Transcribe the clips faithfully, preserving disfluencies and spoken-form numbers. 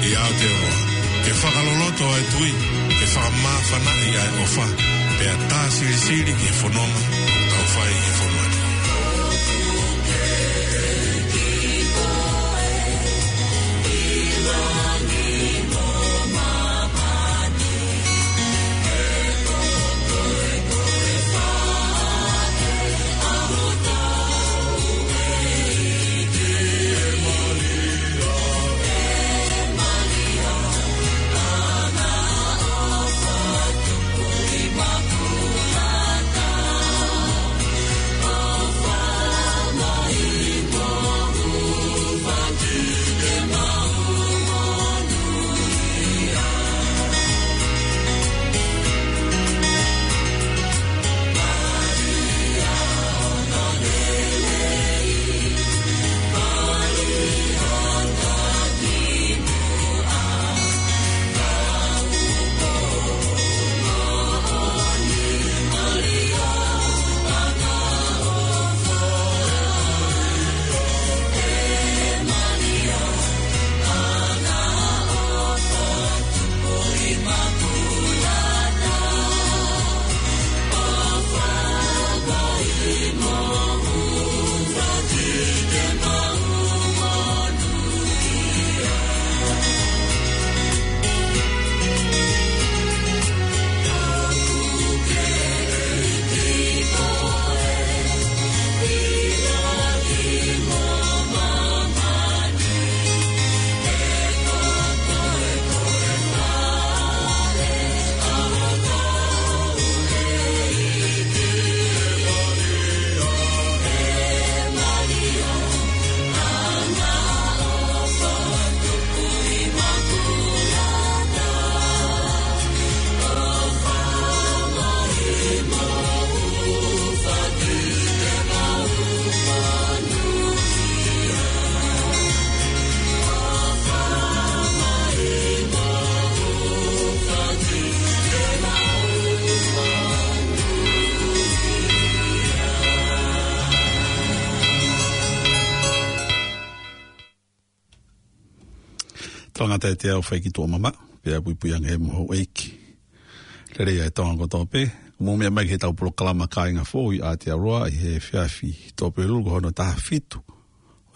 ʻi Aotearoa, ke fakaloloto ʻa e tui, ke fakamāfanaʻi ʻa e ʻofa, pea tā silisili ki he fononga ʻoku tau fai ʻi he fonua ni. Tangata e te au fai ki tuʻa mama, pea puipui ange mo houʻeiki. Lelei ʻa e Tonga kotoa pē, mou meʻa mai ki heʻetau polokalama Kāinga Foʻou ʻi Aotearoa ʻi he efiafi Tuʻapulelulu ko hono taha fitu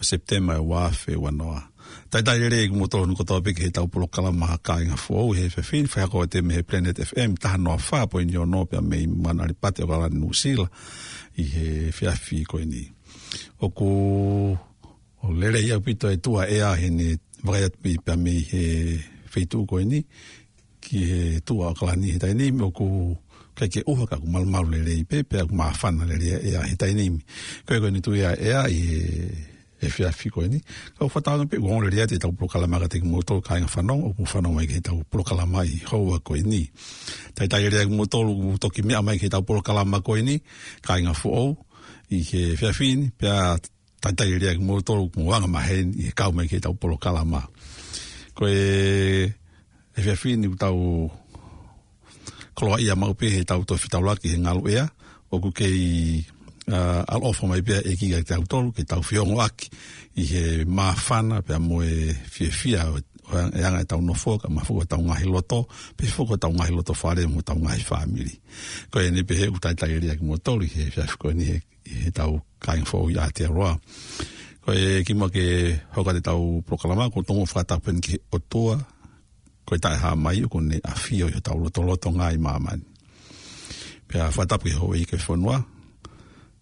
ʻo Sepitema ua afe ua noa. Talitali lelei kimoutolu kotoa pē ki heʻetau polokalama Kāinga Foʻou ʻi he efiafi ni, fai hake atu mei he Planet F M taha noa fā poini ono pea mei Manuʻalipati ʻAokalani Nuʻusila ʻi he efiafi ko eni. ʻOku ʻo lelei ʻaupito e tuʻa ʻea heʻene vakai atu pē pea mei he feituʻu ko eni ki he tuʻa ʻAokalani he taimi ni, ʻoku ʻikai ke ʻuha ka ʻoku malumalu lelei pē, pea ʻoku māfana lelei ʻa e ʻea he taimi ni. Ko e ko eni tuʻa ʻea ʻi he efiafi ko eni. Ka ʻoku fakatauange pē ʻoku ongo lelei atu ʻetau polokalama kiate kimoutolu kāinga fanongo, ʻoku fanongo mai ki heʻetau polokalama ʻi he houa ko eni. Talitali lelei kimoutolu ʻoku toki meʻa mai ki heʻetau polokalama ko eni, Kāinga Foʻou, ʻi he efiafi ni, pea talitali lelei kimoutolu ʻoku mou anga maheni ʻi he kau mai ki heʻetau polokalama. Ko e efiafi ni ʻoku tau koloaʻia maʻu pē heʻetau toe fetaulaki he ngalu ʻea, ʻoku kei, ā, ʻaloʻofa mai pē ʻa e ʻEiki kiate kitautolu, ke tau feongoʻaki ʻi he māfana pea mo e fiefia ʻo, ʻo e anga ʻetau nofo, kae ʻumaʻā foki hotau ngaahi loto, pea foki hotau ngaahi loto fale mo hotau ngaahi fāmili. Ko eni pē he ʻoku talitali lelei kimoutolu ʻi he efiafi ko eni he ʻi heʻetau Kāinga Foʻou ʻi Aotearoa. Ko e kimuʻa ke hoko atu ʻetau polokalama, ʻoku ou tonu ʻo fakatapu heni ki he ʻOtua, ko e Taʻehāmai, ʻoku ne ʻafio ʻi hotau lotolotonga ʻi māmani. Pea fakatapu ki he houʻeiki ʻo e fonua,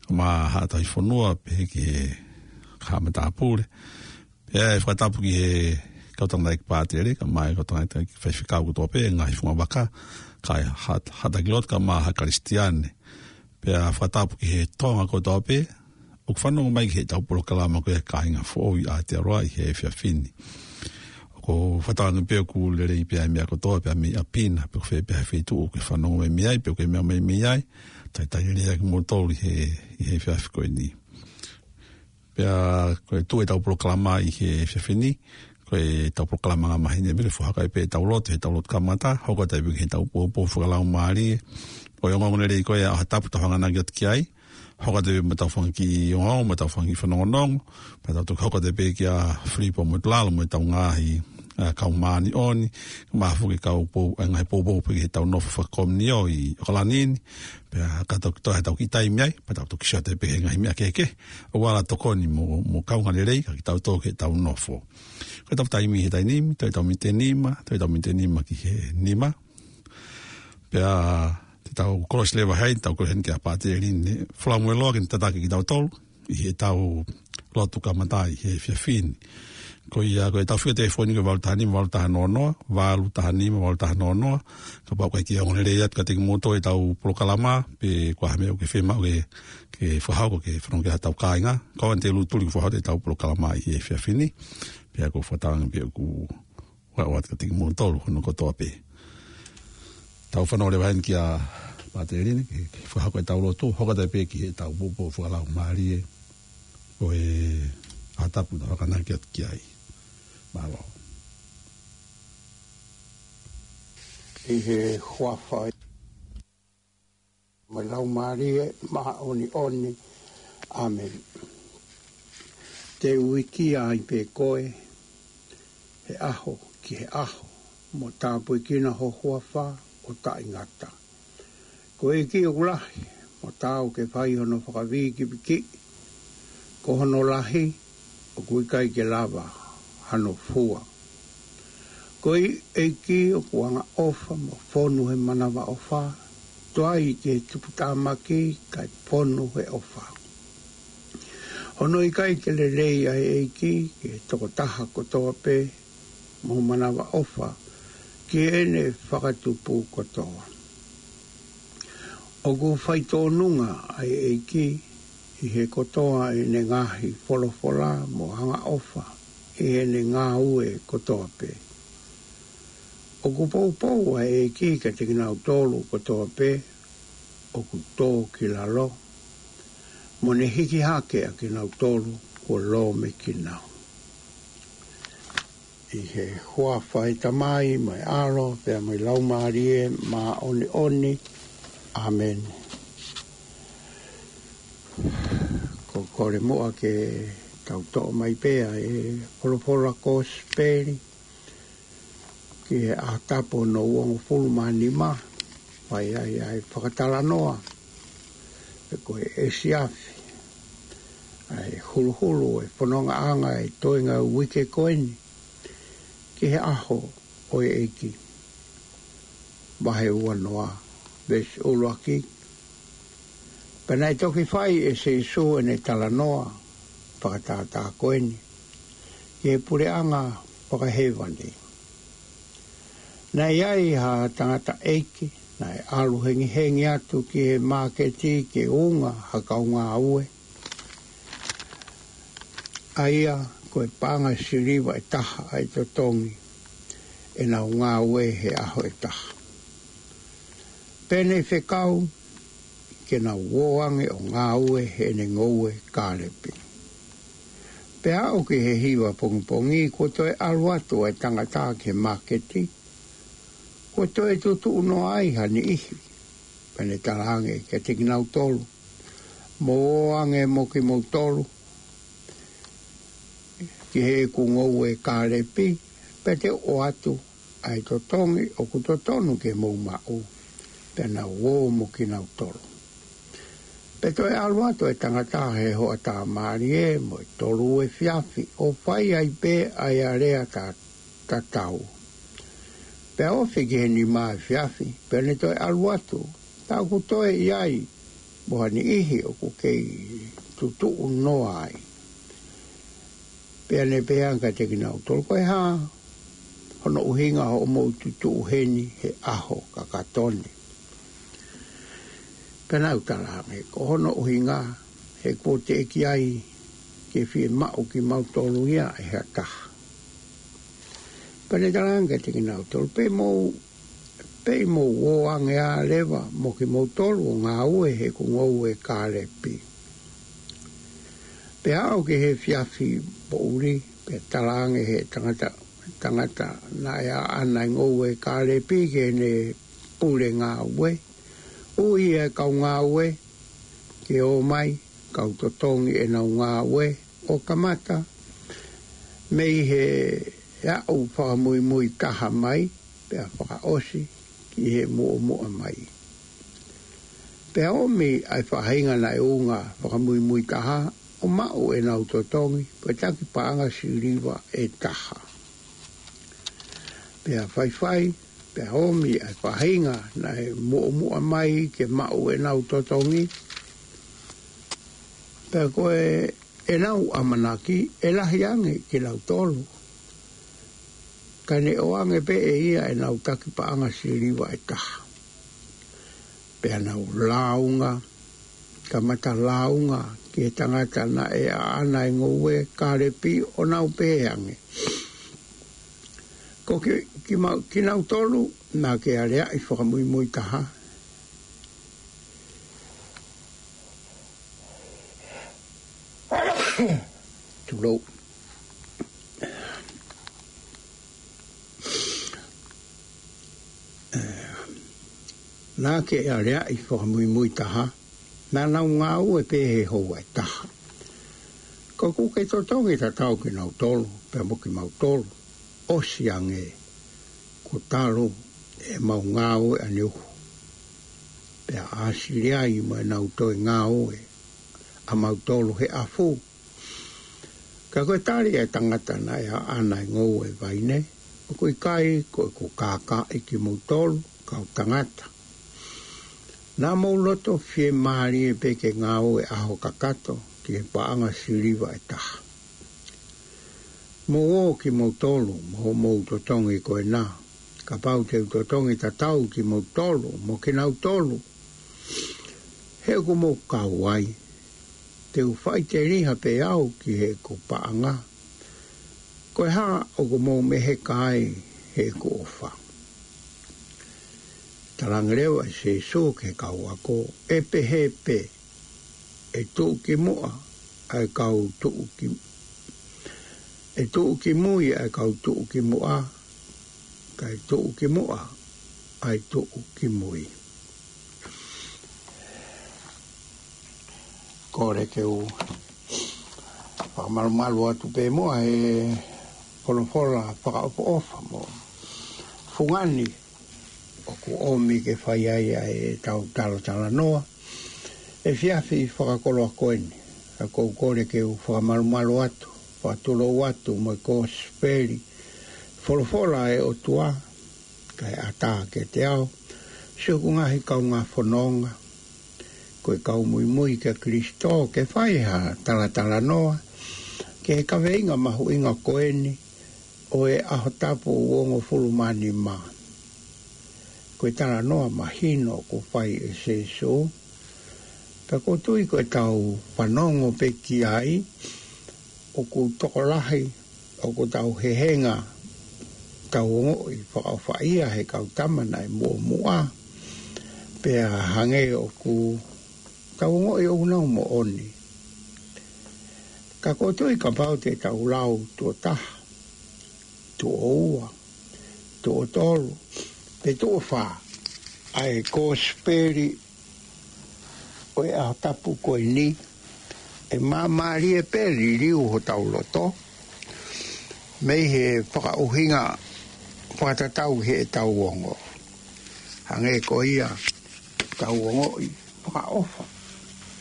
kae ʻumaʻā haʻa tauhi fonua, pehē ki he haʻa matāpule. Pea ʻe fakatapu ki he kau tangataʻeiki pātele, kae ʻumaʻā e kau tangataʻeiki faifekau kotoa pē, ngaahi fungavaka, kae haʻa, haʻa taki lotu kae ʻumaʻā haʻa Kalisitiane. Pea fakatapu ki he Tonga kotoa pē ʻoku fanongo mai ki heʻetau polokalama ko e Kāinga Foʻou ʻi Aotearoa ʻi he efiafi ni. ʻOku ou fakatauange pē ʻoku lelei pē ʻa e meʻa kotoa pē mei ʻapi na, pe ko fē pē ha feituʻu ʻoku ke fanongo mai mei ai, pe ʻoku ke meʻa mai mei ai, talitali lelei kimoutolu ʻi he, ʻi he efiafi ko eni. Pea ko e tuʻu ʻetau polokalama ʻi he efiafi ni, ko ʻetau polokalama anga maheni, ʻe mele fohaka pē ʻetau lotu, heʻetau lotu kamata, hoko atu pē ki heʻetau poupou fakalaumālie. Ko e ongoongo lelei ko ia ʻa e ʻaho Tapu tau hanganaki atu ki ai, hoko atu pē mo ʻetau fanga kiʻi ongoongo, mo ʻetau fanga kiʻi fanongonongo, pea tau toki hoko atu pē kia Filipo Motulalo mo ʻetau ngaahi ʻa e kau māʻoniʻoni, mahalo foki e kau pou, ʻa e ngaahi poupou pē ki heʻetau nofo fakakomiunio ʻi ʻOkalani ni, pea ka tau toe ʻetau kiʻi taimi ai, pea tau toki sio atu pē he ngaahi meʻa kehekehe, ʻoku ala tokoni mo, mo kaungā lelei, ka kitautolu ki heʻetau nofo. Ko ʻetau taimi he taimi ni, toe ʻetau miniti ʻe nima, toe ʻetau miniti ʻe nima ki he nima. Pea te tau kolosi leva heni, tau kolosi heni kia Pātele Line Falamueloa ke ne tataki kitautolu ʻi heʻetau lotu kamata ʻi he efiafi ni. Ko ia, ko ʻetau fika telefoni ko e valu taha nima, valu taha noa noa, valu taha nima, valu taha noa noa. Kapau ʻoku ʻikai ke ongo lelei atu kiate kimoutolu ʻetau polokalama, pe ko ha meʻa ʻoku ke fiemaʻu ke, ke fakahoko ke fanongo ki ai haʻatau kāinga, kau ʻalu atu ʻo tuli ke fakahoko ʻetau polokalama ʻi he efiafi ni. Pea ʻoku ou fakatauange pē ʻoku ʻoatu kiate kimoutolu hono kotoa pē. Tau fanongo leva heni kia Pātele Line, ke, ke fakahoko ʻetau lotu, hoko atu pē ki heʻetau poupou fakalaumālie, ko e ʻaho tapu naʻa tau akonaki atu ki ai. Mālō. ʻI he huafa mo e Laumālie Māʻoniʻoni. ʻĀmeni. Te u ʻikia ai pē koe, he ʻaho ki he ʻaho, mo tāpuekina ho huafa ʻo taʻengata. Ko e ʻEiki ʻoku lahi, mo taau ke fai hono fakavīkivikiʻi, ko hono lahi, ʻoku ʻikai ke lava hano fua. Ko e ʻEiki ʻoku angaʻofa mo fonu he manavaʻofa, tuai ki he tuputāmaki kae fonu he ʻofa. Hono ʻikai ke lelei ʻa e ʻEiki ki he tokotaha kotoa pē, mo manavaʻofa ki heʻene fakatupu kotoa. ʻOku faitōnunga ʻa e ʻEiki ʻi he kotoa ʻene ngaahi folofola mo angaʻofa ʻi heʻene ngāue kotoa pē. ʻOku poupou ʻa e ʻEiki kiate kinautolu kotoa pē ʻoku tō ki lalo, mo ne hiki hake ʻa kinautolu kuo lōmekina. ʻI he huafa ʻo e Tamai, mo e ʻAlo, pea mo e Laumālie Māʻoniʻoni. ʻĀmeni. Ko e kole muʻa ke tau toʻo mai pē ʻa e folofola kosipeli ki he ʻaho tapu hono uongofulu mā nima, fai ai ʻa e fakatalanoa, pe ko e efiafi, ʻa e huluhulu ʻo e fonongaʻanga ʻo e toenga uike ko eni, ki he ʻaho ʻo e ʻEiki. Vahe uanoa, veesi ʻuluaki. Pea naʻe toki fai ʻe Sīsū ʻene talanoa fakatātā ko eni ki he puleʻanga fakahēvani. Naʻe ʻi ai ha tangataʻeiki naʻe ʻalu hengihengi atu ki he māketi ke unga ha kau ngāue, ʻa ia ko e paʻanga siliva ʻe taha ʻa e totongi ʻenau ngāue he ʻaho ʻe taha. Pea ne fekau ke nau ō ange ʻo ngāue heʻene ngoue kālepi. Pea aʻu ki he hiva pongipongi, kuo toe ʻalu atu ʻa e tangata ki he māketi, kuo toe tutuʻu noa ai ha niʻihi. Pea ne talaange kiate kinautolu, mou ō ange mo kimoutolu ki heʻeku ngoue kālepi, pea te u ʻoatu ʻa e totongi ʻoku totonu ke mou maʻu. Pea nau ō mo kinautolu. Pea toe ʻalu atu e tangata he hoʻatā mālie mo e tolu efiafi, ʻo fai ai pē ʻa e alea ta tatau. Pea ofi ki he nima efiafi, pea ne toe ʻalu atu, tā ʻoku toe ʻi ai mo ha niʻihi ʻoku kei tutuʻu noa ai. Pea ne pehē ange kiate kinautolu, ko e hā hono ʻuhinga hoʻomou tutuʻu heni he ʻaho kakato ni? Pea nau talaange, ko hono ʻuhinga he kuo teʻeki ai ke fiemaʻu kimautolu ia ʻe ha taha. Pea ne talaange kiate kinautolu, pea mou, pea mou ō ange ā leva mo kimoutolu ʻo ngāue heʻeku ngoue kālepi. Pea aʻu ki he efiafi poʻuli, pea talaange he tangata, tangata naʻe ʻaʻana e ngoue kālepi ki heʻene pule ngāue, ui e kau ngāue ke ō mai, kau totongi ʻenau ngāue, ʻo kamata mei he ʻe aʻu fakamuimui taha mai, pea fakaʻosi ki he muʻomuʻa mai. Pea ʻomi ʻa e faʻahinga naʻe unga fakamuimui taha, ʻo maʻu ʻenau totongi, ko e taki paʻanga siliva ʻe taha. Pea faifai, pea ʻomi ʻa e faʻahinga naʻe muʻomuʻa mai ke maʻu ʻenau totongi, pea ko e ʻenau ʻamanaki ʻe lahi ange kinautolu, ka ne ʻoange pē ʻe ia ʻenau taki paʻanga siliva ʻe taha. Pea nau lāunga, kamata lāunga ki he tangata naʻe ʻaʻana e ngoue kālepi, ʻo nau pehē ange, Ko ki, ki mau, kinautolu naʻa ke aleaʻi fakamuimui taha. Tulou. Naʻa ke aleaʻi fakamuimui taha, naʻa nau ngāue pē he houa ʻe taha. Ka ʻoku ke totongi tatau kinautolu, pea mo kimautolu, ʻosi ange kuo talu ʻemau ngāue ʻaneuhu. Pea ʻāsili ai mo ʻenau toe ngāue ʻamautolu he ʻafu. Ka ko e tali ʻa e tangata naʻe ʻaʻana e ngoue vaine, ʻOku ʻikai ko ʻeku kākaaʻi kimoutolu, kau tangata. Naʻa mou loto fiemālie pē ke ngāue ʻaho kakato ki he paʻanga siliva ʻe taha. Mou ō kimoutolu mo hoʻomou totongi ko ena, kapau te u totongi tatau kimoutolu mo kinautolu, he ʻoku mou kau ai, te u faʻiteliha pē au ki heʻeku paʻanga. Ko e hā ʻoku mou meheka ai heʻeku ʻofa? Talaange leva ʻe Sīsū ki he kau ako, ʻE pehē pē, ʻe tuʻu ki muʻa ʻa e kau tuʻu ki, ʻe tuʻu ki mui ʻa e kau tuʻu ki muʻa, kae tuʻu ki muʻa ʻa e tuʻu ki mui. Kole ke u fakamalumalu atu pē muʻa he folofola fakaʻofoʻofa mo fungani ʻoku ʻomi ke fai ai ʻa ʻetau talatalanoa he efiafi fakakoloa ko eni. Ka ʻoku ou kole ke u fakamalumalu atu, fakatulou atu mo e kosipeli, folofola ʻa e ʻOtua, kae ʻatā kiate au, siʻoku ngaahi kaungā fononga, ko e kau muimui kia Kalaisi, ke fai ha talatalanoa ki he kaveinga mahuʻinga ko eni ʻo e ʻaho tapu uongofulu mā nima. Ko e talanoa mahino kuo fai ʻe Sīsū, pea ʻoku ou tui ko ʻetau fanongo pē ki ai, ʻoku tokolahi ʻoku tau hehenga, tau ongoʻi fakaʻofaʻia he kau tama naʻe muʻomuʻa, pea hangē ʻoku tau ongoʻi ʻoku nau moʻoni. Ka ʻoku ou tui kapau te tau lau tuʻo taha, tuʻo ua, tuʻo tolu, pe tuʻo fā ʻa e kosipeli ʻo e ʻaho tapu ko eni, ʻe māmālie pē liliu hotau loto mei he fakaʻuhinga fakatatau heʻetau ongo. Hangē ko ia, tau ongoʻi fakaʻofa,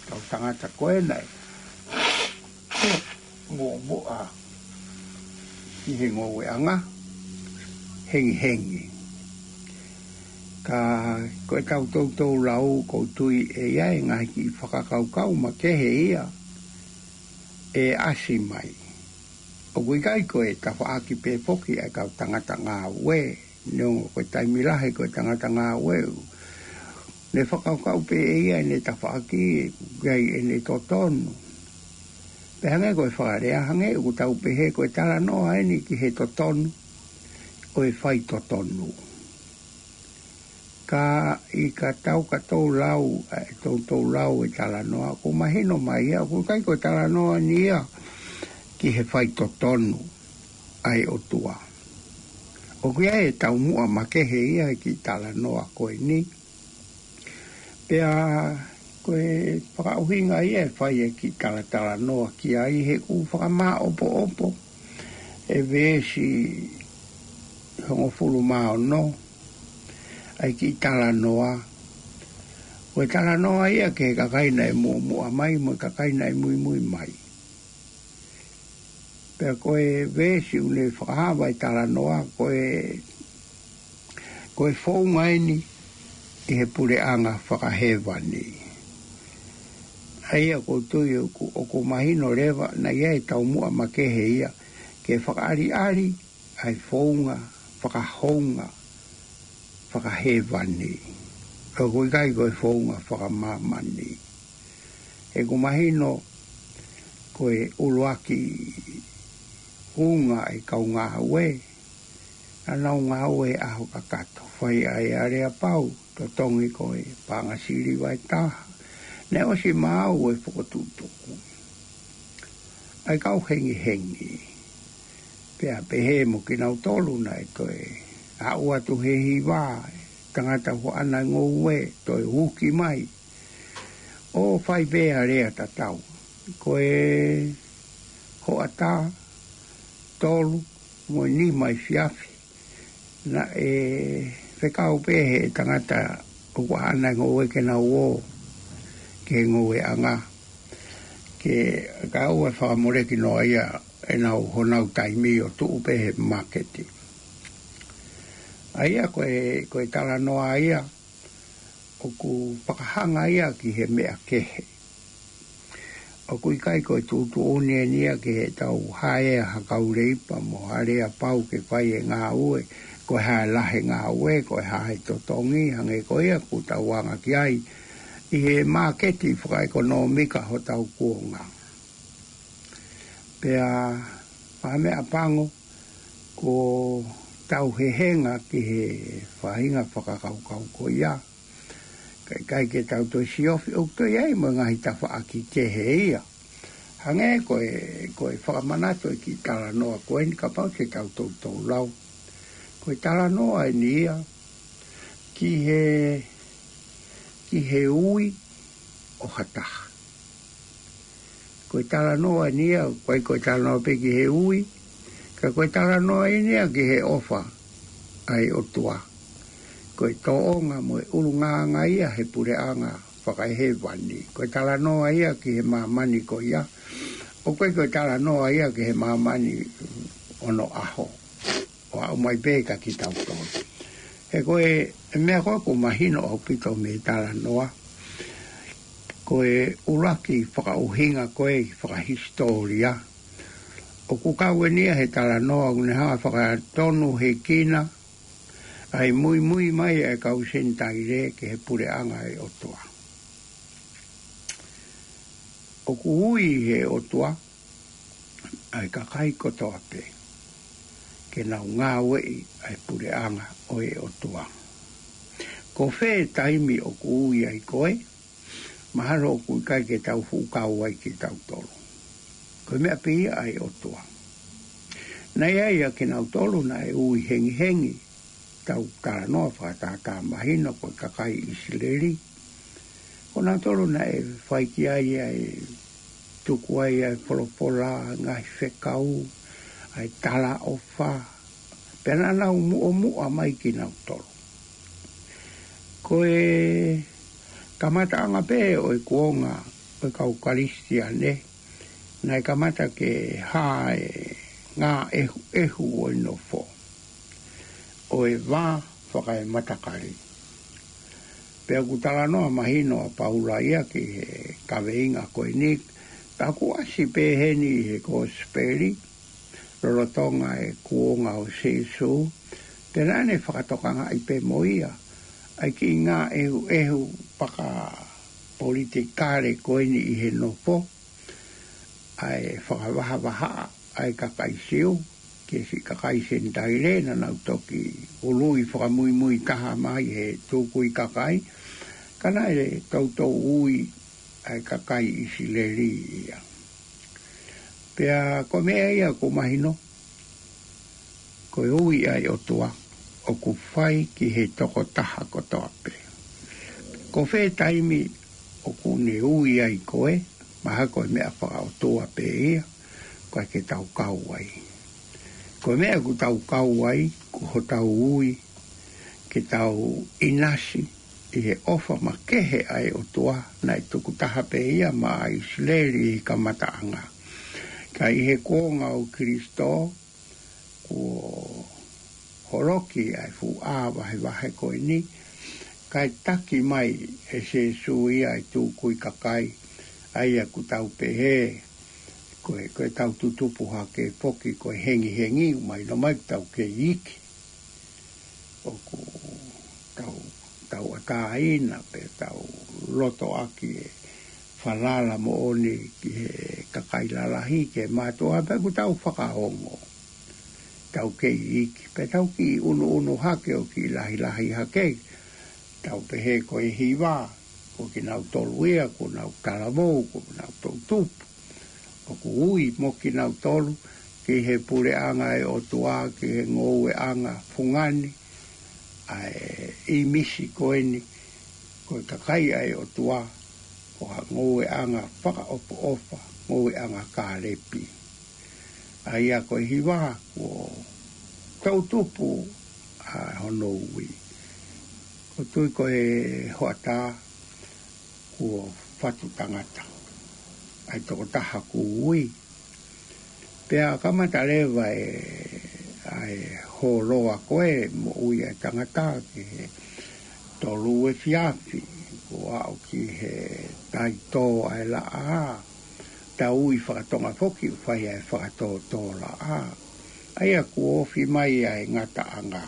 tau tangata ko ena ʻe muʻomuʻa ʻi he ngoueʻanga hengihengi. Ka ko ʻetau toutou lau, ʻoku ou tui ʻe ʻi ai e ngaahi kiʻi fakakaukau makehe ia ʻe ʻasi mai. ʻOku ʻikai ko e tafaʻaki pē foki ʻa e kau tangata ngāue, neongo ko e taimi lahi ko e tangata ngāue ʻoku ne fakakaukau pē ʻe ia ʻene tafaʻaki, ʻoku ʻi ai ʻene totonu. Pea hangē ko e fakalea, hangē ʻoku tau pehē ko e talanoa eni ki he totonu ʻo e faitotonu. Ka ʻi ka tau ka tau lau, ʻa e toutou lau e talanoa, ʻoku mahino mai ia, ʻoku ʻikai ko e talanoa eni ia ki he faitotonu ʻa e ʻOtua. ʻOku ʻi ai e taumuʻa makehe ia he kiʻi talanoa ko eni. Pea ko e fakaʻuhinga ia ʻe fai e kiʻi talatalanoa ki ai, he ʻoku fakamāʻopoʻopo ʻE veesi hongofulu mā ono, ʻa e kiʻi talanoa. Ko e talanoa ia ki he kakai naʻe muʻomuʻa mai, mo e kakai naʻe muimui mai. Pea ko e veesi ʻoku ne fakahā ʻa e talanoa, ko e, ko e founga eni ʻi he puleʻanga fakahēvani. ʻA ia ʻoku ou tui ʻoku, ʻoku mahino leva, naʻe ʻi ai e taumuʻa makehe ia, ke fakaʻaliʻali ʻa e founga fakahounga fakahēvani. ʻOku ʻikai ko e founga fakamāmani. ʻOku mahino ko e ʻuluaki ʻunga ʻa e kau ngāue, naʻa nau ngāue ʻaho kakato, fai ʻa e aleapau, totongi ko e paʻanga siliva ʻe taha. Naʻe ʻosi maʻu e fokotuʻutuʻu ʻa e kau hengihengi. Pea pehē mo kinautolu naʻe toe aʻu atu he hiva, tangata huaʻana ngoue, toe uki mai. ʻO fai pē ʻa e lea tatau. Ko e hoʻatā, tolu, mo e nima efiafi, naʻe fekau pē he tangata ʻoku ʻaʻana ngoue ke nau ō ki he ngoueʻanga. Ke kau e fakamoleki noa ia ʻenau honau taimi ʻo tuʻu pē he māketi. ʻA ia ko e, ko e talanoa ia, ʻoku fakahanga ia ki he meʻa kehe. ʻOku ʻikai ko e tuʻutuʻuni eni ia ke tau haea ha kau leipa mo ha aleapau ke fai e ngāue, ko e hā e lahi e ngāue, ko e hā e totongi, hangē ko ia ʻoku tau anga ki ai ʻi he māketi fakaʻekonōmika hotau kuonga. Pea fakameʻapango, ko tau hehenga ki he faʻahinga fakakaukau ko ia. Ka ʻikai ke tau toe siofi, ʻoku toe ʻi ai mo e ngaahi tafaʻaki kehe ia. Hangē ko e, ko e fakamanatu e kiʻi talanoa ko eni, kapau te tau toutou lau. Ko e talanoa eni ia ki he, ki he ui ʻo ha taha. Ko e talanoa eni ia, ʻoku ʻikai ko e talanoa pē ki he ui, ka ko e talanoa eni ia ki he ʻofa ʻa e ʻOtua. Ko e tōʻonga mo e ʻulungaanga ia he puleʻanga fakahēvani. Ko e talanoa ia ki he māmani ko ia. ʻOku ʻikai ko e talanoa ia ki he māmani ʻo onoʻaho. ʻO aʻu mai pē kia kitautolu. He ko e meʻa ko ē ʻoku mahino ʻaupito mei he talanoa, ko e ʻuluaki fakaʻuhinga ko ē fakahisitōlia, ʻoku kau eni ia he talanoa ʻoku ne hanga ʻo fakatonuhikina ʻa e muimui mai ʻa e kau Senitaile ki he puleʻanga ʻo e ʻOtua. ʻOku ui ʻe he ʻOtua ʻa e kakai kotoa pē ke nau ngāueʻi ʻa e puleʻanga ʻo e ʻOtua. Ko fē taimi ʻoku ui ai koe, mahalo ʻoku ʻikai ke tau fuʻu kau ai kitautolu. Ko e meʻa pē ia ʻa e ʻOtua. Naʻe ʻi ai ʻa kinautolu naʻe ui hengihengi, tau talanoa fakatātā mahino ko e kakai ʻIsileli. Ko nautolu naʻe fai ki ai ʻa e tuku ai ʻa e folofola, ngaahi fekau, ʻa e talaʻofa. Pea naʻa nau muʻomuʻa mai kinautolu. Ko e kamataʻanga pē ʻo e kuonga ʻo e kau Kalisitiane, naʻe kamata ke hā e ngāʻehuʻehu ʻo e nofo, ʻo e vā fakaematakali. Pea ʻoku talanoa mahino ʻa Paula ia ki he kaveinga ko eni, ka ʻoku ʻasi pē heni he Kosipeli, lolotonga e kuonga ʻo Sīsū, pea naʻa ne fakatokangaʻi pē mo ia ʻa e kiʻi ngāʻehuʻehu fakapolitikale ko eni ʻi he nofo, ʻa e fakavahavahaʻa ʻa e kakai Siu ki he siʻi kakai Senitaile, naʻa nau toki ului fakamuimui taha mai he tukui kakai, ka naʻe toutou ui ʻa e kakai ʻIsileli ia. Pea ko e meʻa ia ʻoku mahino, ko e ui ʻa e ʻOtua ʻoku fai ki he tokotaha kotoa pē. Ko fē taimi ʻoku ne ui ai koe, mahalo ko e meʻa fakaʻotua pē ia, ʻoku ʻikai ke tau kau ai. Ko e meʻa ʻoku tau kau ai, ko hotau ui ke tau ʻinasi ʻi he ʻofa makehe ʻa e ʻOtua naʻe tukutaha pē ia maʻa ʻIsileli ʻi he kamataʻanga. Ka ʻi he kuonga ʻo Kilisitō, kuo holoki ʻa e fuʻu ʻā vahevahe ko eni, kae taki mai ʻe Sīsū ia ʻa e tukui kakai, ʻa ia ʻoku tau pehē, ko e, ko e tau tutupu hake foki ko e hengihengi, mahino mai ʻoku tau kei iiki. ʻOku tau, tau ʻatāina pe tau loto ʻaki e falala moʻoni ki he kakai lalahi, ki he mātuʻa, pea ʻoku tau fakaongo. Tau kei iiki, pea tau kiʻi ʻunuʻunu hake ʻo kiʻi lahilahi hake. Tau pehē ko e hiva, ko kinautolu ia, ko nau talavou, ko nau toʻutupu. ʻOku ui mo kinautolu ki he puleʻanga ʻo e ʻOtua, ki he ngoueʻanga fungani, ʻa e ʻīmisi ko eni, ko e kakai ʻa e ʻOtua, ko ha ngoueʻanga fakaʻofoʻofa, ngoueʻanga Kālepi. ʻA ia ko e hiva, kuo toʻutupu ʻa hono ui. ʻOku ou tui ko e hoʻatā kuo fatu tangata ʻa e tokotaha kuo ui. Pea kamata leva e, ʻa e hōloa ko e moʻui ʻa e tangata ki he tolu efiafi, kuo aʻu ki he taitō ʻa e laʻā. Tau ui fakatonga foki ʻo fai ʻa e fakatōtōlaʻā. ʻA ia kuo ofi mai ʻa e ngataʻanga.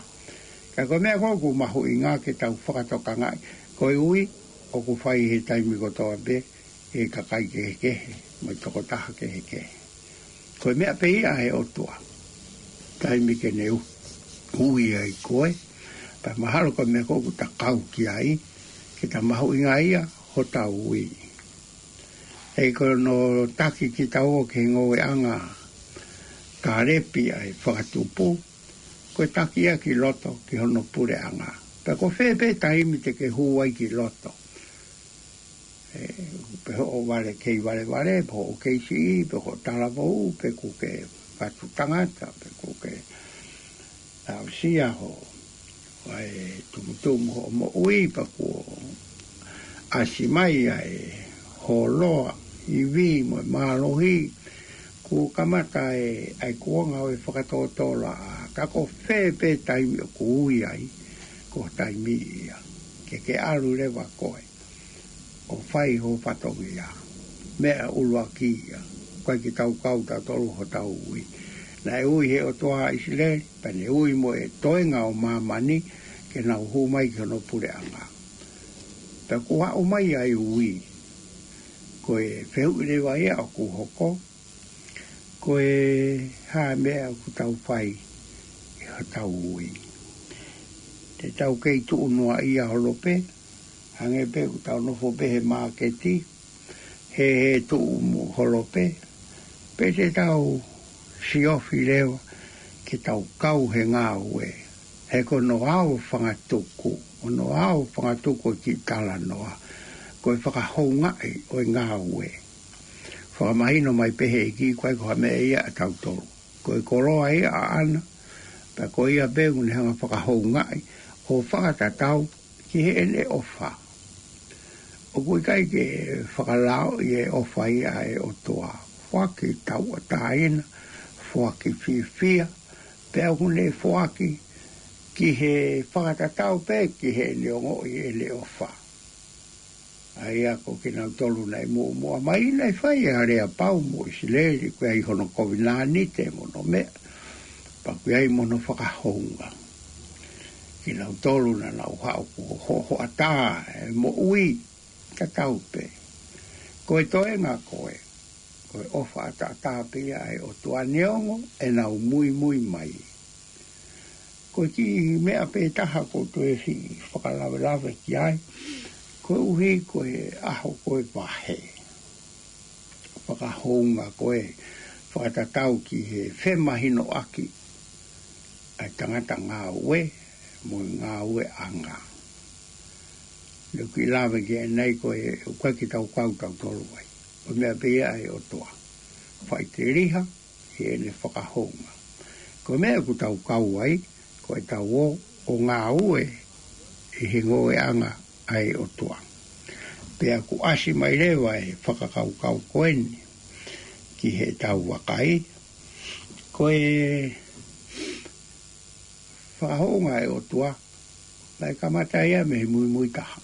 Ka ko e meʻa ko ē ʻoku mahuʻinga ke tau fakatokangaʻi, ko e ui ʻoku fai he taimi kotoa pē, he kakai kehekehe, mo e tokotaha kehekehe. Ko e meʻa pē ia ʻa e ʻOtua. Taimi ke ne u-, ui ai koe, pea mahalo ko e meʻa ko ē ʻoku ta kau ki ai, ke ta mahuʻingaʻia hotau ui. He ko hono taki kitaua ki he ngoueʻanga Kālepi ʻa e fakatupu, ko e taki ia ki loto ki hono puleʻanga. Pea ko fē pē taimi te ke hū ai ki loto. ʻE, pe hoʻo vale kei valevale, pe hoʻo kei siʻi, pe hoʻo talavou, pe ʻoku ke fatu tangata, pe ʻoku ke aʻusia hoʻo, ʻa e tumutumu hoʻo moʻui, pea kuo ʻasi mai ʻa e hōloa, ivi mo e mālohi, kuo kamata e, ʻa e kuonga ʻo e fakatōtōlaʻā, ka ko fē pē taimi ʻoku ui ai, ko e taimi ia ke ke ʻalu leva koe ʻo fai ho fatongia. Meʻa ʻuluaki ia, ʻoku ʻikai ke tau kau tautolu hotau ui. Naʻe ui he ʻOtua ʻa ʻIsileli, pea ne ui mo e toenga ʻo māmani ke nau hū mai ki hono puleʻanga. Pea kuo aʻu mai ʻa e ui, ko e fehuʻi leva ia ʻoku hoko, ko e hā e meʻa ʻoku tau fai ʻi hotau ui. Te tau kei tuʻu noaʻia holo pē, hangē pē ʻoku tau nofo pē he māketi, he, he tuʻu mo holo pē, pe te tau siofi leva ke tau kau he ngāue. He ko hono ʻao fangatuku, hono ʻao fangatuku ʻo e kiʻi talanoa, ko e fakahoungaʻi ʻo e ngāue. Fakamahino mai pē he ʻEiki ʻoku ʻikai ko ha meʻa ia ʻa tautolu. Ko e koloa ia ʻaʻana, pea ko ia pē ʻoku ne hanga fakahoungaʻi ʻo fakatatau ki heʻene ʻofa. ʻOku ʻikai ke fakalaoʻi e ʻofa ia ʻa e ʻOtua. Foaki tauʻatāina, foaki fiefia, pea ʻoku ne foaki ki he fakatatau pē ki heʻene ongoʻi ʻene ʻofa. ʻA ia ko kinautolu naʻe muʻomuʻa mai naʻe fai ʻa e aleapau mo ʻIsileli, ʻoku ʻi ai hono kovinānite mo hono meʻa, pea ʻoku ʻi ai mo hono fakahounga. Kinautolu naʻa nau haʻu kuo ho-, hoʻatā e moʻui, tatau pē. Ko e toenga ko ē, ko e ʻofa ʻataʻatā pē ia ʻa e ʻOtua neongo ʻenau muimui mai. Ko e kiʻi meʻa pē taha ʻoku ou toe siʻi fakalavelave ki ai, koeʻuhi ko e ʻaho ko e vahe. Fakahounga ko e fakatatau ki he femahinoʻaki ʻa e tangata ngāue mo e ngāueʻanga. Naʻa ku kiʻi lave ki ai ʻanenai ko e ʻoku ʻikai ke tau kau tautolu ai. Ko e meʻa pē ia ʻa e ʻOtua. Faʻiteliha, heʻene fakahounga. Ko e meʻa ʻoku tau kau ai, ko ʻetau ō ʻo ngāue ʻi he ngoueʻanga ʻa e ʻOtua. Pea ʻoku ʻasi mai leva e fakakaukau ko eni ki heʻetau vakai, ko e fakahounga ʻa e ʻOtua, naʻe kamata ia mei he muimui taha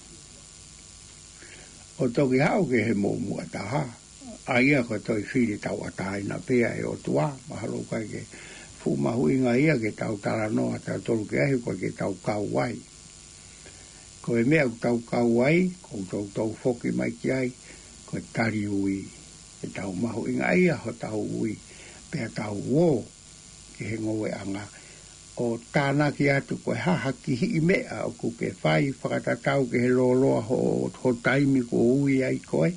ʻo toki haʻu ki he muʻomuʻa taha. ʻA ia ko e toe fili tauʻatāina pē ʻa e ʻOtua, mahalo ʻoku ʻikai ke fuʻu mahuʻinga ia ke tau talanoa tautolu ki ai, ʻoku ʻikai ke tau kau ai. Ko e meʻa ʻoku tau kau ai, ʻoku toutou foki mai ki ai, ko e tali ui. ʻE tau mahuʻingaʻia hotau ui, pea tau ō ki he ngoueʻanga ʻo tānaki atu ko e hā ha kihiʻi meʻa ʻoku ke fai fakatatau ki he lōloa ho, ho taimi kuo ui ai koe.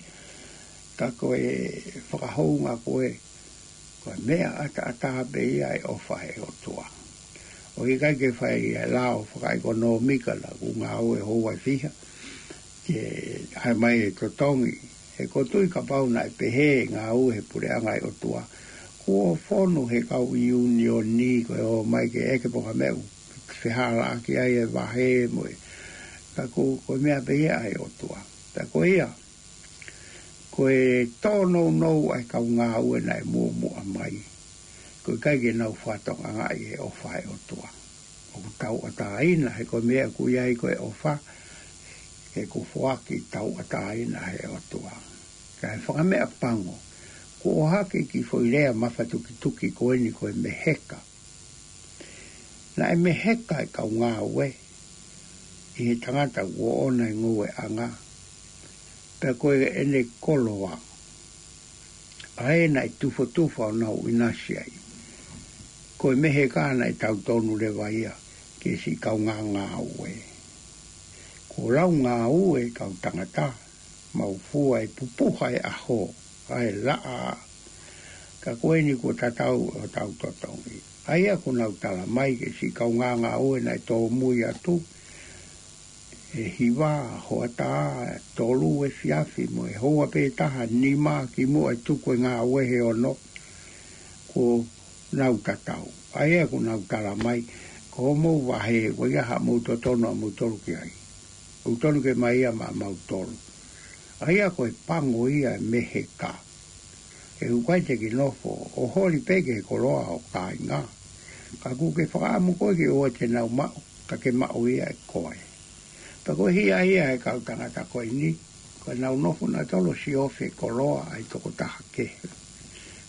Ka ko e fakahounga ko ē, ko e meʻa ʻataʻatā pē ia e ʻofa ʻa e ʻOtua. ʻOku ʻikai ke fai e lao fakaʻekonōmika naʻa ku ngāue houa ʻe fiha ke ʻai mai e totongi. He ʻoku ou tui kapau naʻe pehē e ngāue he puleʻanga ʻa e ʻOtua, kuo fonu he kau ʻiunioni ko e ō mai ke ʻeke pe ko e hā e meʻa ʻoku fehālaaki ai e vahe mo e. Ka ko, ko e meʻa pē ia ʻa e ʻOtua. Pea ko ia, ko e tōnounou ʻa e kau ngāue naʻe muʻomuʻa mai, ʻoku ʻikai ke nau fakatokangaʻi e ʻofa ʻa e ʻOtua. ʻOku tauʻatāina, he ko e meʻa ʻoku ʻi ai ko e ʻofa, he ʻoku foaki tauʻatāina ʻe he ʻOtua. Ka e fakameʻapango, kuo ʻohake e kiʻi foʻi lea mafatukituki ko eni ko e meheka. Naʻe meheka e kau ngāue ʻi he tangata kuo ʻoʻona e ngoueʻanga, pea ko ʻene koloa ʻa ē naʻe tufotufa ʻo nau ʻinasi ai. Ko e meheka naʻe tau tonu leva ia ki he siʻi kaungā ngāue. Kuo lau ngāue e kau tangata, mau fua e pupuha e ʻaho, ʻa e laʻā. Ka ko eni kuo tatau ʻo tau totongi. ʻA ia ʻoku nau tala mai ki he siʻi kaungā ngāue naʻe tōmui atu, ʻe hiva hoʻatā, tolu efiafi mo e houa pē taha nima kimuʻa e tuku e ngāue he ono, kuo nau tatau. ʻA ia ʻoku nau tala mai, ko hoʻomou vahe, ko ia haʻamou totonu ʻamoutolu ki ai. ʻOku tonu ke ʻomai ia maʻamautolu. ʻA ia ko e pango ia e meheka. He ʻoku ʻikai te ke nofo ʻo holi pē ki he koloa ho kāinga. Ka ʻoku ke fakaʻamu koe ke ʻoua te nau maʻu, ka ke maʻu ia ʻe koe. Pea ko e hia ia e kau tangata ko eni, ko ʻenau nofo nautolu ʻo siofi e koloa ʻa e tokotaha kehe.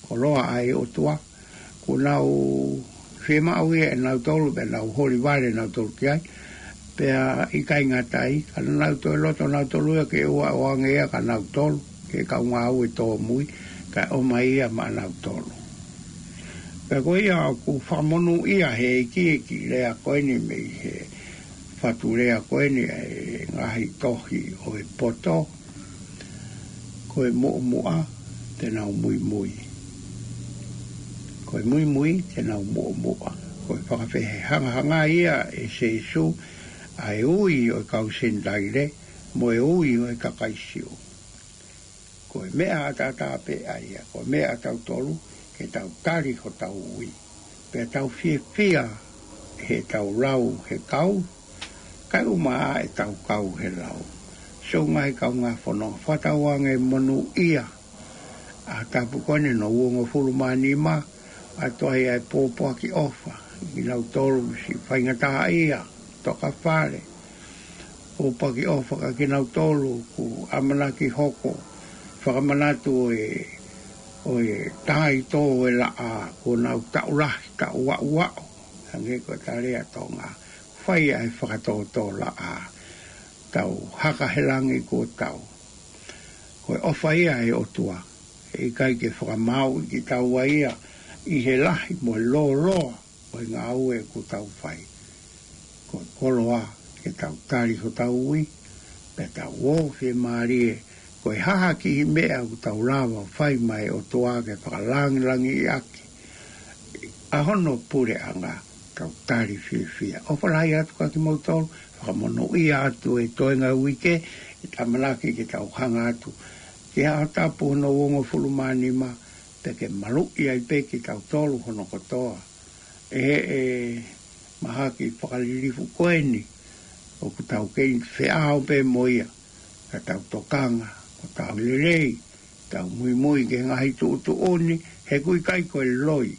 Koloa ʻa e ʻOtua, kuo nau fiemaʻu ia ʻe nautolu, pea nau holi vale nautolu ki ai, pea ʻikai ngata ai, ka naʻa nau toe loto nautolu ia ke ʻoua ʻe ʻoange ia kia nautolu, ki he kau ngāue tōmui, kae ʻomai ia maʻanautolu. Pea ko ia ʻoku fakamonūʻia he ʻEiki e kiʻi lea ko eni mei he fatu lea ko eni ʻa e ngaahi tohi ʻo e poto, ko e muʻomuʻa te nau muimui. Ko e muimui te nau muʻomuʻa. Ko e fakafehangahanga ia ʻe Sīsū ʻa e ui ʻo e kau Senitaile mo e ui ʻo e kakai Siu. Ko e meʻa ʻataʻatā pē ʻa ia, ko e meʻa ʻatautolu, ke tau tali hotau ui. Pea tau fiefia heʻetau lau he kau, kae ʻumaʻā ʻetau kau he lau. Siʻoku ngaahi kaungā fononga, fakatauange monūʻia ʻa e tapu ko eni hono uongofulu mā nima, ʻa e toʻa ia e pōpoaki ʻofa, kinautolu siʻi faingataʻaʻia, tokafale, pōpoaki ʻofa kia kinautolu ʻoku ʻamanaki hoko, fakamanatu ʻe, ʻo e taha ʻi tō e laʻā, kuo nau taʻu lahi, taʻu aʻuaʻu, hangē ko e tala ʻa Tonga, fai ʻa e fakatōtōlaʻā, tau haka he langi kuo tau. Ko e ʻofa ia ʻa e ʻOtua, ʻe ʻikai ke fakamaauʻi kitaua ia ʻi he lahi mo e lōloa ʻo e ngāue ʻoku tau fai. Ko e koloa ke tau tali hotau ui, pea tau ō fiemālie, ko e hā ha kiʻi meʻa ʻoku tau lava ʻo fai maʻa e ʻOtua ke fakalangilangiʻaki ʻa hono puleʻanga, tau tali fiefia. ʻOfa lahi atu kia kimoutolu, fakamonūʻia atu e toenga uike, ʻe ʻamanaki ke tau hanga atu ki he Aho Tapu hono uongofulu mā nima, pea ke maluʻi ai pē kitautolu hono kotoa. ʻE, ʻe mahaki fakalilifu ko eni, ʻoku tau kei feʻao pē mo ia, ka tau tokanga, ko tau lelei, tau muimui ki he ngaahi tuʻutuʻuni, he ʻoku ʻikai ko e loi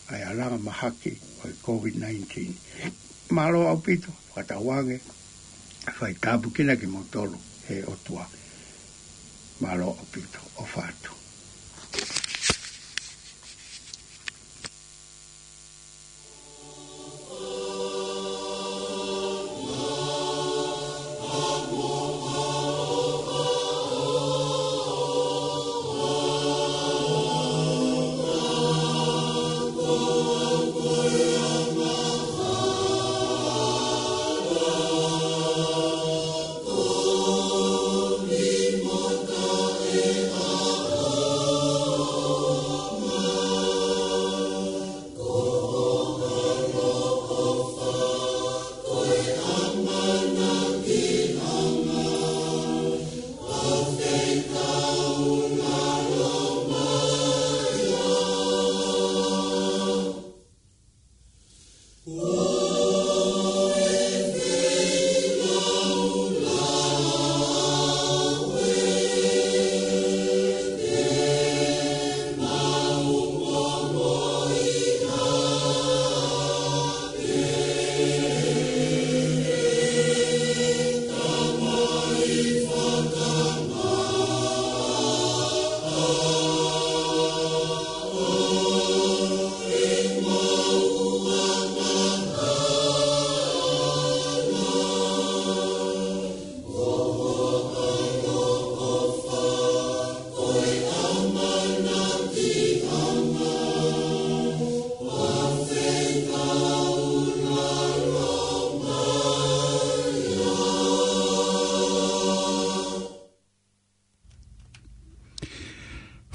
ʻa e alanga mahaki ʻo e COVID nineteen. Mālō ʻaupito, fakatauange, fai tāpuekina kimoutolu ʻe he ʻOtua. Mālō ʻaupito, ʻofa atu.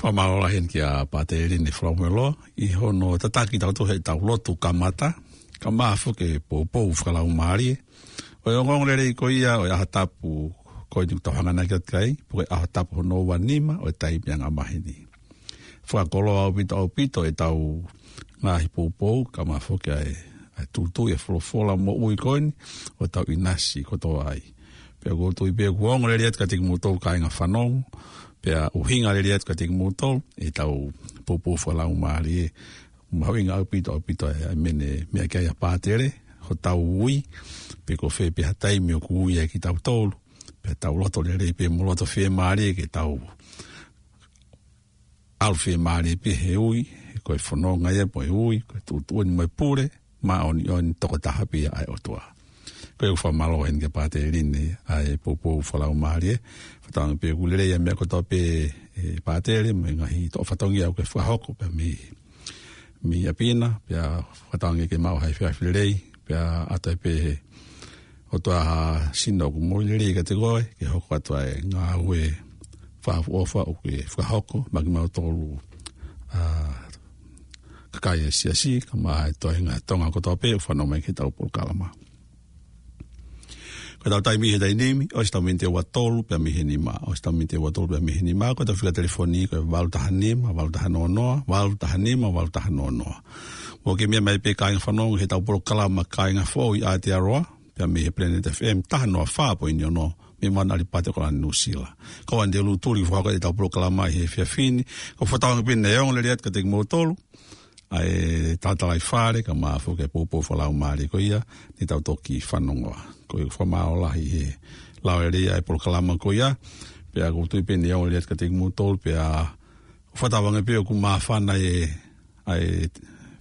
Fakamālō lahi eni kia Pātele Line Falaumelo, ʻi hono tataki tautolu he ʻetau lotu kamata, kae ʻumaʻā foki e poupou fakalaumālie ʻo e ongoongolelei ko ia ʻo e ʻaho tapu ko eni ʻoku tau hanganaki atu ki ai, pe ko e ʻaho tapu hono ua nima ʻo e taimi anga maheni. Fakakoloa ʻaupito ʻaupito ʻetau ngaahi poupou, kae ʻumaʻā foki ʻa e, ʻa e tūtuuʻi e folofola moʻui ko eni ʻo tau ʻinasi kotoa ai. Pea ʻoku ou tui pē ʻoku ongo lelei atu kiate kimoutolu kāinga fanongo, pea ʻuhinga lelei atu kiate kimoutolu ʻetau poupou fakalaumālie. Mahuʻinga ʻaupito ʻaupito ʻa e, ʻa e meʻa ne meʻa ki ai ʻa Pātele, hotau ui, pe ko fē pē ha taimi ʻoku ui ai kitautolu, pea tau loto lelei pē mo loto fiemālie ke tau ʻalu fiemālie pē he ui, he ko e fononga ia mo e ui, ko e tuʻutuʻuni mo e pule māʻoniʻoni tokotaha pē ia ʻa e ʻOtua. Ko ia ʻoku fakamālō eni kia Pātele Line ʻa e poupou fakalaumālie. Fakatauange pē ʻoku lelei ʻa e meʻa kotoa pē, ʻe Pātele, mo e ngaahi toʻo fatongia ʻoku ke fakahoko pē mei mei ʻapi na, pea fakatauange ke maʻu ha efiafi lelei, pea ʻoatu pē ʻe he ʻOtua ha sino ʻoku moʻui lelei kiate koe, ke hoko atu ʻa e ngāue fakaʻofoʻofa ʻoku ke fakahoko maʻa kimautolu, ʻa, kakai ʻa e siasi, kae ʻumaʻā e toenga Tonga kotoa pē ʻoku fanongo mai ki heʻetau polokalama. Ko ʻetau taimi he taimi ni, ʻosi ʻetau miniti ʻe ua tolu pea mei he nima. ʻOsi ʻetau miniti ʻe ua tolu pea mei he nima, ko ʻetau fika telefoni ko e valu taha nima, valu taha noa noa, valu taha nima, valu taha noa noa. Mou kiʻi meʻa mai pē kāinga fanongo heʻetau polokalama Kāinga Foʻou ʻi Aotearoa, pea mei he Planet F M taha noa fā poini ono, mei Mount ʻAlipate, ʻAokalani, Nuʻu Sila. Ko ʻeni te u tuli fakahoko ʻetau polokalama ʻi he efiafi ni, ko e fakatauange pē naʻe ongo lelei atu kiate kimoutolu ʻa e talatalaifale, kae ʻumaʻā foki e poupou fakalaumālie ko ia ne tau toki fanongoa. Ko ia ʻoku fakamālō lahi he lau lelei ʻa e polokalama ko ia, pea ʻoku ou tui pē naʻe ongo lelei atu kiate kimoutolu, pea ʻoku fakatauange pē ʻoku māfana e, ʻa e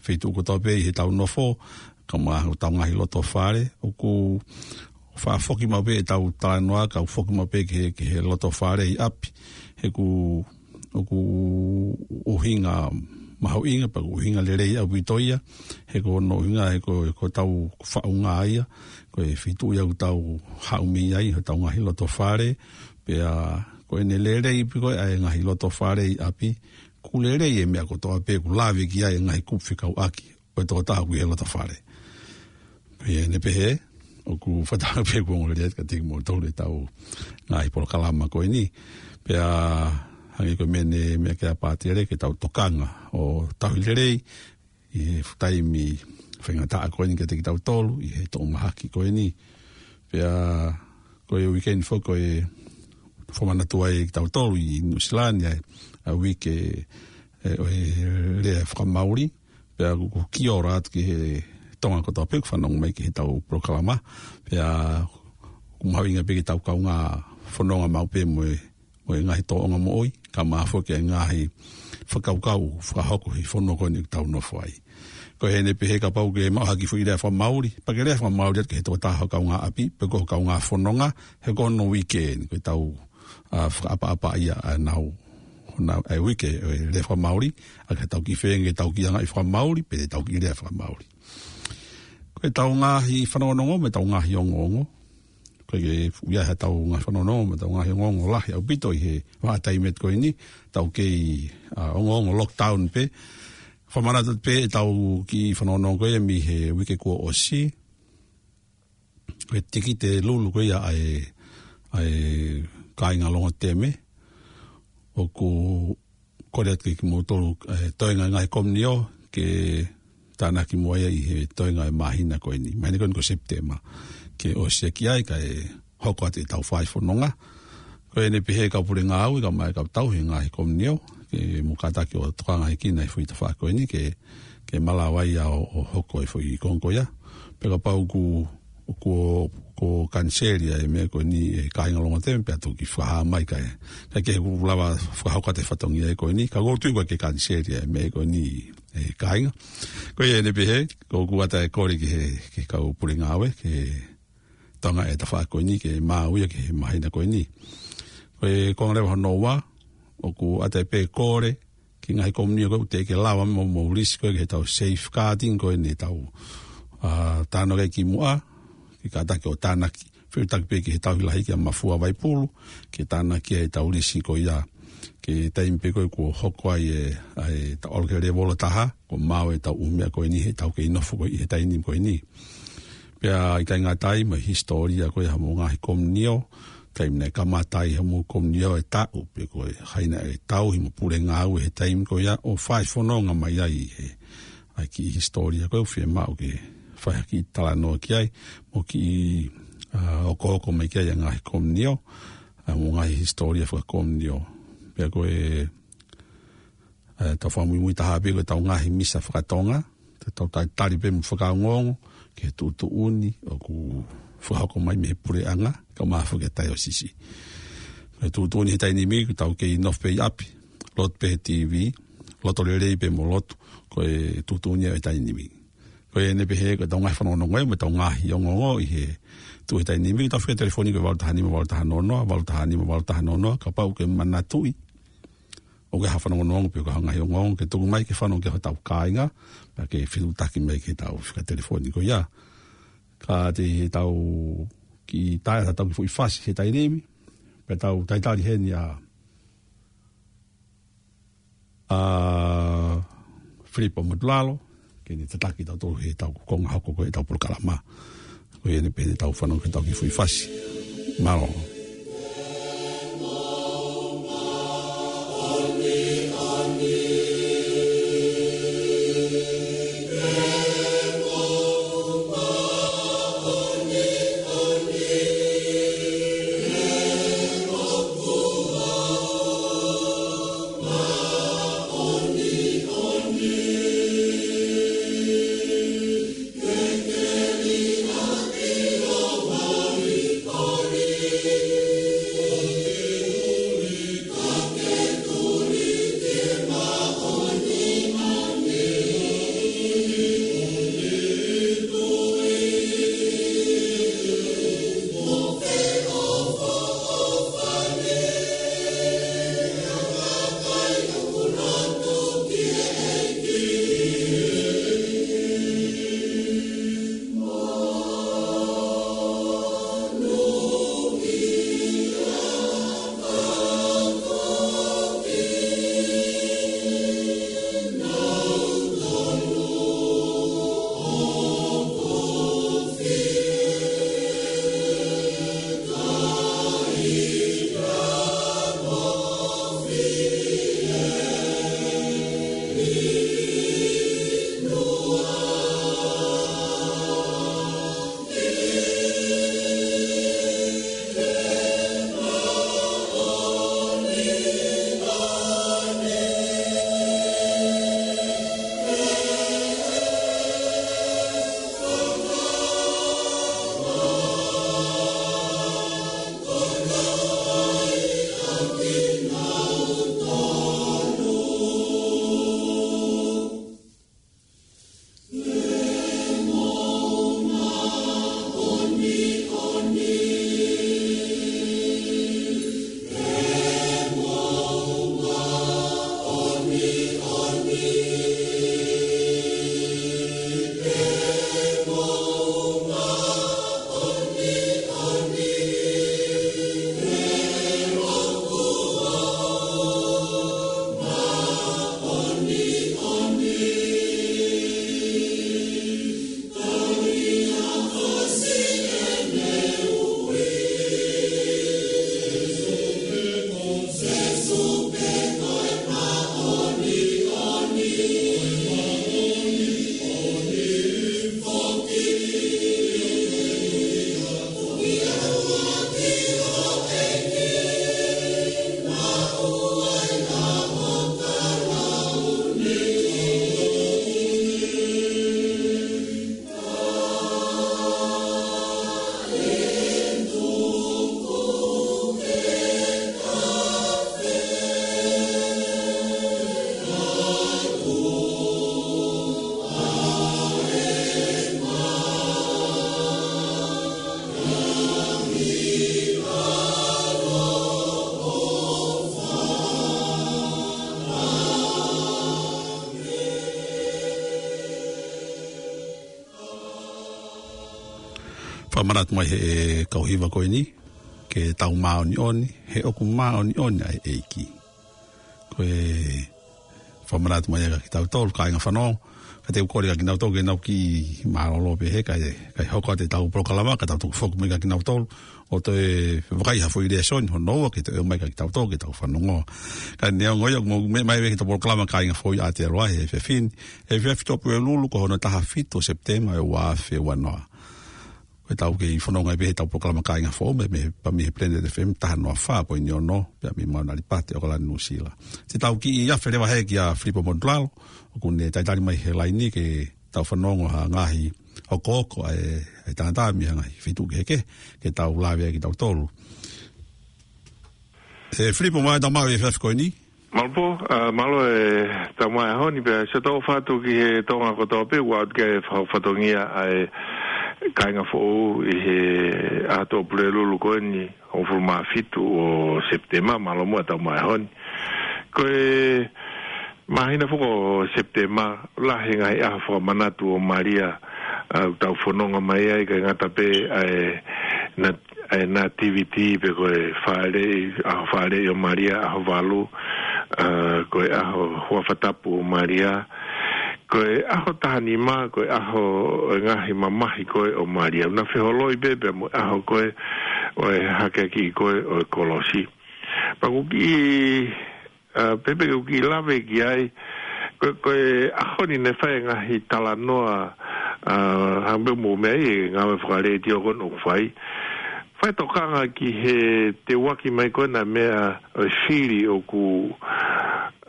feituʻu kotoa pē ʻi heʻetau nofo, kae ʻumaʻā hotau ngaahi loto fale, ʻoku fakafoki maʻu pē ʻetau talanoa, kae foki maʻu pē ki he, ki he loto fale ʻi ʻapi. He ʻoku, ʻoku ʻuhinga mahuʻinga, pea ʻoku ʻuhinga lelei ʻaupito ia, he ko hono ʻuhinga, he ko, ko ʻetau faʻunga ia, ko e feituʻu ia ʻoku tau haʻu mei ai, hotau ngaahi loto fale, pea ko ʻene lelei pē ko ē ʻa e ngaahi loto fale ʻi ʻapi, ʻoku lelei e meʻa kotoa pē ʻoku lave ki ai e ngaahi kupu fekauʻaki ʻo e tokotaha ʻoku ʻi he loto fale. Ko ia ʻeni pē he, ʻoku fakatauange pē ʻoku ongo lelei atu kiate kimoutolu ʻetau ngaahi polokalama ko eni. Pea hangē ko e meʻa ne meʻa ki ai ʻa Pātele ke tau tokanga ʻo tauhi lelei, ʻi he taimi faingataʻa ko eni kiate kitautolu, ʻi he toʻomahaki ko eni. Pea ko e weekend foki ko e fakamanatu ai kitautolu ʻi Nuʻusila ni ʻa e, ʻa e uike, ē, ʻo e lea fakamaoli. Pea ʻoku, ʻoku kiʻi ora atu ki he Tonga kotoa pē ʻoku fanongo mai ki heʻetau polokalama. Pea ʻoku mahuʻinga pē ke tau kaungā fononga maʻu pē mo e, mo e ngaahi tōʻonga moʻui, kae ʻumaʻā foki e ngaahi fakakaukau fakahoko he fonua ko eni ʻoku tau nofo ai. Ko ʻene pehē kapau ʻoku ke maʻu ha kiʻi foʻi lea fakamaoli, pea ke lea fakamaoli atu ki he tokotaha ho kaungāʻapi, pe ko ho kaungā fononga, he ko hono uike eni, ko ʻetau, ā, fakaʻapaʻapa ia ʻa ʻenau, honau, ʻa e uike, ʻo e lea fakamaoli, ʻa ke tau kiʻi feinga ke tau kiʻi anga ʻi fakamaoli, pe tau kiʻi lea fakamaoli. Ko ʻetau ngaahi fanongonongo, mo ʻetau ngaahi ongoongo. Ko e ke fuʻu ia he tau ngaahi fanongonongo, mo ʻetau ngaahi ongoongo lahi ʻaupito ʻi he vahaʻa taimi ko eni, tau kei, ā, ongoongo lockdown pē. Fakamanatu pē ʻetau kiʻi fanongonongo ko ia mei he uike kuo ʻosi. Ko e tikite lulu ko ia ʻa e, ʻa e kāinga Longoteme. ʻOku kole atu ke kimoutolu, ē, toenga ngaahi komiunio, ke tānaki mo ia ʻi he toenga e māhina ko eni. Māhina ko eni ko Sepitema. Ke ʻosi ia ki ai kae hoko atu ʻetau fai fononga. Ko ʻene pehē kau pule ngāue, kae ʻumaʻā e kau tauhi ngaahi komiunio, ke mou kātaki ʻo tokanga hikina he foʻi tafaʻaki ko eni, ke, ke malava ia ʻo, ʻo hoko e foʻi konga ko ia. Pea kapau ʻoku, ʻoku, ʻoku kaniseli ʻa e meʻa ko eni ʻe he kāinga Longoteme pea toki fakahā mai kae. Kae kehe ʻoku lava fakahoko atu e fatongia ko eni, ka ʻoku ou tui ʻoku ʻikai ke kaniseli ʻa e meʻa ko eni ʻe he kāinga. Ko ia ʻene pehē, ko ʻeku ʻatā e kole ki he, ki he kau pule ngāue, ke tokanga e tafaʻaki ko eni ke maʻu ia ki he māhina ko eni. Ko e konga leva hono ua, ʻoku ʻatā pē kole, ki he ngaahi komiunio ko ē ʻoku teʻeki ke lava mo, mo lisi ko ē ki heʻetau safeguarding ko eni ʻetau, ā, tānaki ki muʻa, ke kātaki ʻo tānaki, fetuʻutaki pē ki he tauhi lahi ki ʻa Mafua Vaipulu, ke tānaki ʻetau lisi ko ia, ki he taimi pē ko ē kuo hoko ai e, ʻa e tau ʻalu ki he lēvolo taha, kuo maʻu ʻetau ʻū meʻa ko eni heʻetau kei nofo ko ē ʻi he taimi ko eni. Pea ʻikai ngata ai mo e hisitōlia ko ia homou ngaahi komiunio, taimi naʻe kamata ai homou komiunio e taʻu, pe ko e hā e ngaahi tauhi mo pule ngāue he taimi ko ia ʻo fai fononga mai ai he, ʻa e kiʻi hisitōlia ko ē ʻoku fiemaʻu ke fai ha kiʻi talanoa ki ai, mo kiʻi, ā, hokohoko mai ki ai ʻa e ngaahi komiunio, ʻa homou ngaahi hisitōlia fakakomiunio. Pea ko e, ē, tau fakamuimui taha pē ko ʻetau ngaahi misa fakatonga, te tau talitali pē mo fakaongoongo, ki he tuʻutuʻuni, ʻoku fakahoko mai mei he puleʻanga, kae ʻumaʻā foki e taiosisi. Ko e tuʻutuʻuni he taimi ni, ʻoku tau kei nofo pē ʻi ʻapi, lotu pē he T V, loto lelei pē mo lotu, ko e tuʻutuʻuni he taimi ni. Ko ʻene pehē ko ʻetau ngaahi fanongonongo mo ʻetau ngaahi ongoongo ʻi he tuʻu he taimi ni, tau fika telefoni ko e valu taha nima valu taha noa noa, valu taha nima valu taha noa noa, kapau ʻoku ke manatuʻi ʻoku ke ha fanongonongo pe ko ha ngaahi ongoongo ke tuku mai ke fanongo ki ai hotau kāinga, pea ke fetuʻutaki mai ki heʻetau fika telefoni ko ia. Ka ʻi heʻetau kiʻi tae atu ʻetau kiʻi foʻi fasi he taimi ni, pea tau talitali heni ʻa, ʻa Filipo Motulalo, ke ne tataki kitautolu heʻetau konga hoko ko ē ʻetau polokalama. Ko ia ʻene pehē ʻetau fanongo ki heʻetau kiʻi foʻi fasi. Mālō. Fakamanatu mai he kau hiva ko eni, ke tau māʻoniʻoni, he ʻoku māʻoniʻoni ʻa e ʻEiki. Ko e fakamanatu mai ʻa kitautolu, kāinga fanongo, ka te u kole ʻa kinautolu ke nau kiʻi mālōlō pē he, kae, kae hoko atu ʻetau polokalama, ka tau toki foki mai ʻa kinautolu, ʻo toe vakai ha foʻi lēsoni, hono ua ke toe ʻomai ʻa kitautolu, ke tau fanongo. Ka neongo ia, mou meʻa mai ʻi heʻetau polokalama kāinga foʻou ʻa Aotearoa he efiafi ni, efiafi Tuʻapulelulu ko hono taha fitu ʻo Sepitema ʻo e ua afe ua noa. Ko ʻetau kei fononga ai pē heʻetau polokalama kāinga foʻou, mei, mei, pea mei he Planet F M taha noa fā poini ono, pea mei Mauna Lipate, ʻAokalani, Nuʻu Sila. Te tau kiʻi afe leva he kia Filipo Monutulalo, ʻoku ne talitali mai he laini ke tau fanongo ha ngaahi hokohoko ʻa e, ʻa e tangata mei he ngaahi feituʻu kehekehe, ke tau lave ai kitautolu. ʻE Filipo, mālō e tau maʻu e efiafi ko eni. Mālō pō, ā, mālō e tau maʻu e ʻaho ni pea ʻoatu atu ki he Tonga kotoa pē, ʻoatu ki he fa-, fatongia ʻa e kāinga foʻou ʻi he ʻaho Tuʻapulelulu ko eni, hongofulu mā fitu ʻo Sepitema, mālō muʻa e tau maʻu e ʻaho ni. Ko e māhina foki ʻo Sepitema, lahi e ngaahi ʻaho fakamanatu ʻo Malia, ā, ʻoku tau fononga mai ai, ʻikai ngata pē ʻa e na-, ʻa e nativity pe ko e fāʻeleʻi, ʻaho fāʻeleʻi ʻo Malia, ʻaho valu, ā, ko e ʻaho huafa tapu ʻo Malia, ko e ʻaho taha nima, ko e ʻaho ʻo e ngaahi mamahi ko ē ʻo Malia. Naʻe feholoi pē pea mo e ʻaho ko ē ʻo e hakeakiʻi ko ē ʻo e kolosi. Pea ʻoku kiʻi ā, pea pē ke u kiʻi lave ki ai, ko, ko e ʻaho ni naʻe fai e ngaahi talanoa, ā, hangē pē mo e meʻa ʻi he ngāue fakalētio ko eni ʻoku fai. Fai tokanga ki he teuaki mai ko ena e meʻa ʻo e fili ʻoku,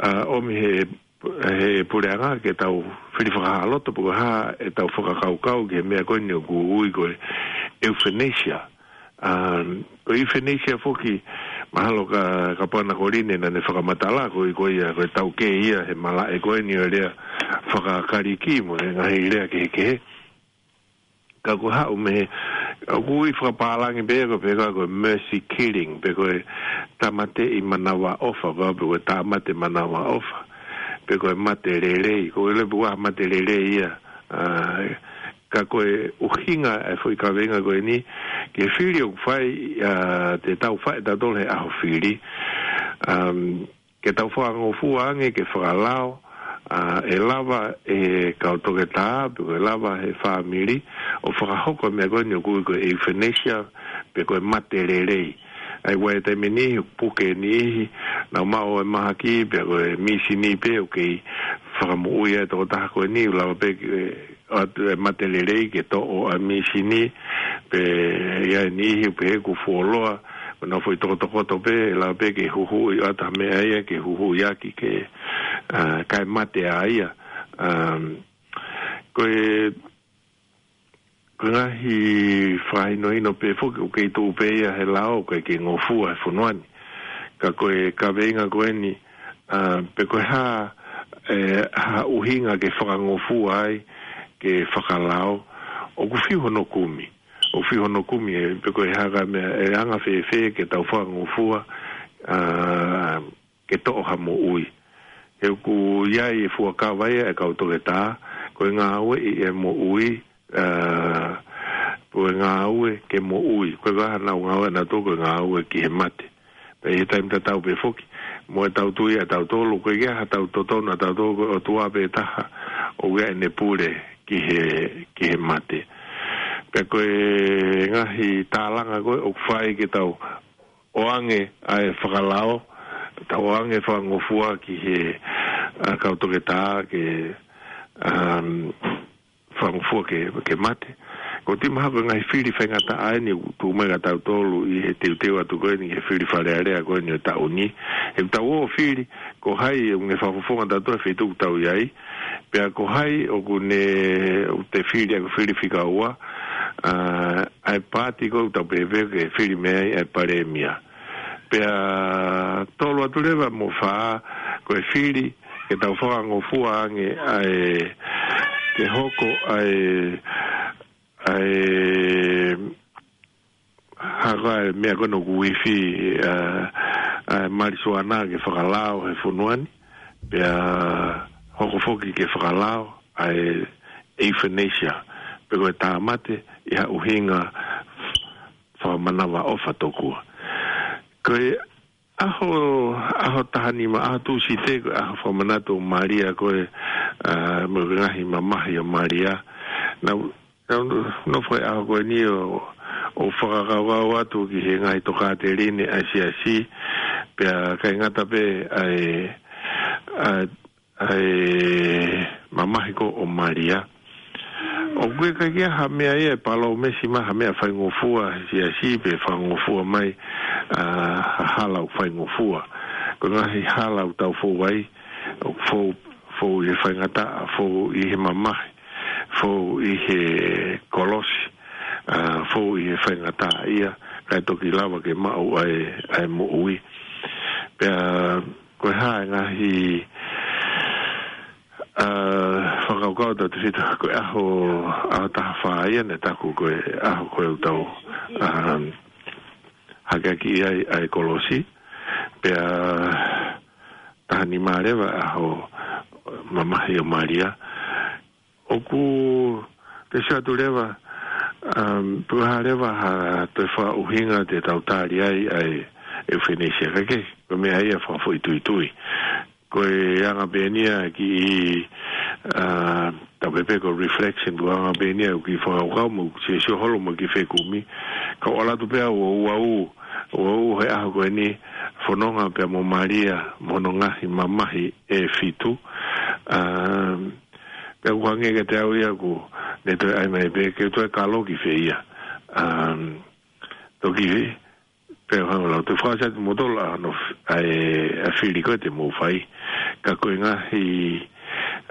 ā, ʻomi he, he puleʻanga ke tau fili fakahāloto pe ko e hā ʻetau fakakaukau ki he meʻa ko eni ʻoku ui ko e euthanasia. Um, ko e euthanasia foki, mahalo ka, ka pana ko Line naʻa ne fakamatala, ko e, ko ia, ko e taukei ia he malaʻe ko eni ʻo e lea faka-Kalisi mo e ngaahi lea kehekehe. Ka ko e haʻu mei he, ʻoku ui fakapālangi pē ko e pehē ko e mercy killing, pe ko e tāmateʻi manavaʻofa, pe ko e tāmate manavaʻofa, pe ko e mate lelei, ko e lea pe ko e mate lelei ia, ā, ka ko e ʻuhinga e foʻi kaveinga ko eni, ki he fili ʻoku fai, ā, te tau fai ʻe tautolu he ʻaho fili. Um, ke tau fakangofua ange ke fakalao, ā, ʻe lava ʻe he kau toketā, pe ko e lava he fāmili, ʻo fakahoko e meʻa ko eni ʻoku ui ko e euthanasia, pe ko e mate lelei. ʻA ia ʻi he taimi ʻe niʻihi, puke ʻe niʻihi, nau maʻu e mahaki, pe ko e mīsini pē, ʻoku kei fakamoʻui ai e tokotaha ko eni, ʻoku lava pē ke, ʻoatu e mate lelei ke toʻo ʻa e mīsini, pe ʻe ʻi ai e niʻihi, pe ʻoku fuoloa, mo nau foʻi tokotokoto pē, ʻe lava pē ke huhuʻi, ʻoatu ha meʻa ia, ke huhuʻi ʻaki ke, ā, kae mate ai ia. Um, ko e, ko e ngaahi fakahinohino pē foki, ʻoku kei tuʻu pē ia he lao, ʻoku ʻikai ke ngofua he fonua ni. Ka ko e kaveinga ko eni, ā, pe ko e hā, ē, ha ʻuhinga ke fakangofua ai, ke fakalao, ʻoku fiu hono kumi. ʻOku fiu hono kumi, ē, pe ko e hā ka meʻa, ʻe anga fēfē ke tau fakangofua, ā, ke toʻo ha moʻui. He ʻoku ʻi ai e fuakava ia e kau toketā, ko e ngāueʻi e moʻui, ā, ko e ngāue ke moʻui. Ko e hā ʻenau ngāue ʻanautolu, ko e ngāue ki he mate. Pea ʻi he taimi tatau pē foki, mo ʻetau tui ʻatautolu, ko e ʻikai ha tau totonu ʻatautolu, ko e ʻOtua pē taha, ʻoku ʻi ai ʻene pule ki he, ki he mate. Pea ko e ngaahi tālanga ko ē ʻoku fai ke tau ʻoange ʻa e fakalao, tau ʻoange fakangofua ki he, ā, kau toketā ke, um, fakangofua ke, ke mate. Ko e timi ha ko e ngaahi fili faingataʻa eni ʻoku tuʻu mai kia tautolu ʻi he teuteu atu ko eni he fili Fale Alea ko eni ʻo e taʻu ni. ʻE tau ō fili, ko hai ʻoku ne fakafofonga tautolu he feituʻu ʻoku tau ʻi ai, pea ko hai ʻoku ne, ʻoku te fili, ʻoku fili fika ua, ā, ʻa e paati ko ē ʻoku tau pehē pē ke fili mei ai ʻa e palēmia. Pea tolu atu leva mo fā, ko e fili, ke tau fakangofua ange ʻa e, ke hoko ʻa e, ʻa e, haka e meʻa ko ē ʻoku ui fi, ā, ʻa e malisuana ke fakalao he fonua ni, pea hoko foki ke fakalao ʻa e euthanasia, pe ko e tāmate ʻi ha ʻuhinga manavaʻofa tokua. Ko e ʻaho, ʻaho taha nima, ʻaho Tūsite, ko e ʻaho fakamanatu ʻo Malia ko ē, ʻa, mo e ngaahi mamahi ʻo Malia. Naʻa, naʻa, nofo he ʻaho ko eni ʻo, ʻo fakakaukau atu ki he ngaahi tokāteline ʻa e siasi, pea ʻikai ngata pē ʻa e, ʻa, ʻa e mamahi ko ē ʻo Malia. ʻOku ʻikai ke ʻi ai ha meʻa ia ʻe palōmesi mai ha meʻa faingofua he siasi pe faingofua mai, ʻa, ha hala ʻoku faingofua. Ko e ngaahi hala ʻoku tau fou ai, ʻoku fou, fou ʻi he faingataʻa, fou ʻi he mamahi, fou ʻi he kolosi, ʻa, fou ʻi he faingataʻaʻia, kae toki lava ke maʻu ʻa e, ʻa e moʻui. Pea ko e hā e ngaahi, ʻa, fakakaukau ʻa Tūsite, ko e ʻaho, ʻaho taha fā ia naʻe taku ko e ʻaho ko ē ʻoku tau, ʻa, hakeakiʻi ai ʻa e kolosi, pea taha nima leva ʻaho mamahi ʻo Malia. ʻOku te sio atu leva, um, pe ko e hā leva ha toe fakaʻuhinga te tau tali ai ʻa e ʻeuthanasia, ka ʻoku ʻikai ko e meʻa ia fakafoʻituitui. Ko e anga pē eni ia ki he, ʻa, tau pehē pē ko e reflection, ko e anga pē eni ia ki he fakakaukau mo e siosio holo mo e kiʻi fekumi. Ka ʻoku ʻalu atu pē au ʻo uaʻu, uaʻu he ʻaho ko eni, fononga pea mo Malia, mo hono ngaahi mamahi ʻe fitu. Um, Pea ʻoku hangē kiate au ia ʻoku ne toe ʻai mai pē ke toe kalo ki fē ia. Um, toki, pea hanga lau toe fakaʻosi atu kimoutolu ʻa hono f-, ʻa e, ʻa e fili ko ē te mou fai. Ka ko e ngaahi,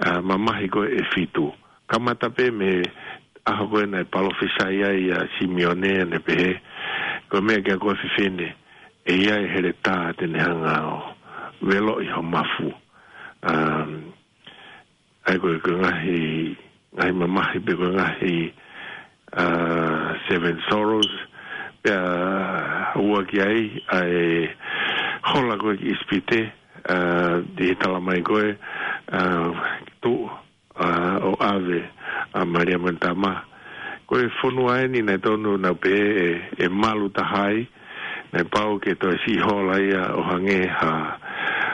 ʻa, mamahi ko ē ʻe fitu. Kamata pē mei he ʻaho ko ē naʻe palōfisai ai ʻa Simione, naʻe pehē, ko e meʻa ki he ako ʻa e fefine, ʻe ʻi ai e heletā te ne hanga ʻo veloʻi ho mafu. Um, ʻA ia ko e, ko e ngaahi, ngaahi mamahi pe ko e ngaahi, ʻa, Seven Sorrows, pea ua ki ai ʻa e hola ko ē ki ʻIsipite, ʻa, ʻi he tala mai ko ē, ʻa, tuʻu, ʻa, ʻo ʻave ʻa Malia mo ʻene tama. Ko e fonua eni naʻe tonu naʻa pehē ʻe, ʻe malu taha ai, naʻe pau ke toe siʻi hola ia ʻo hangē ha,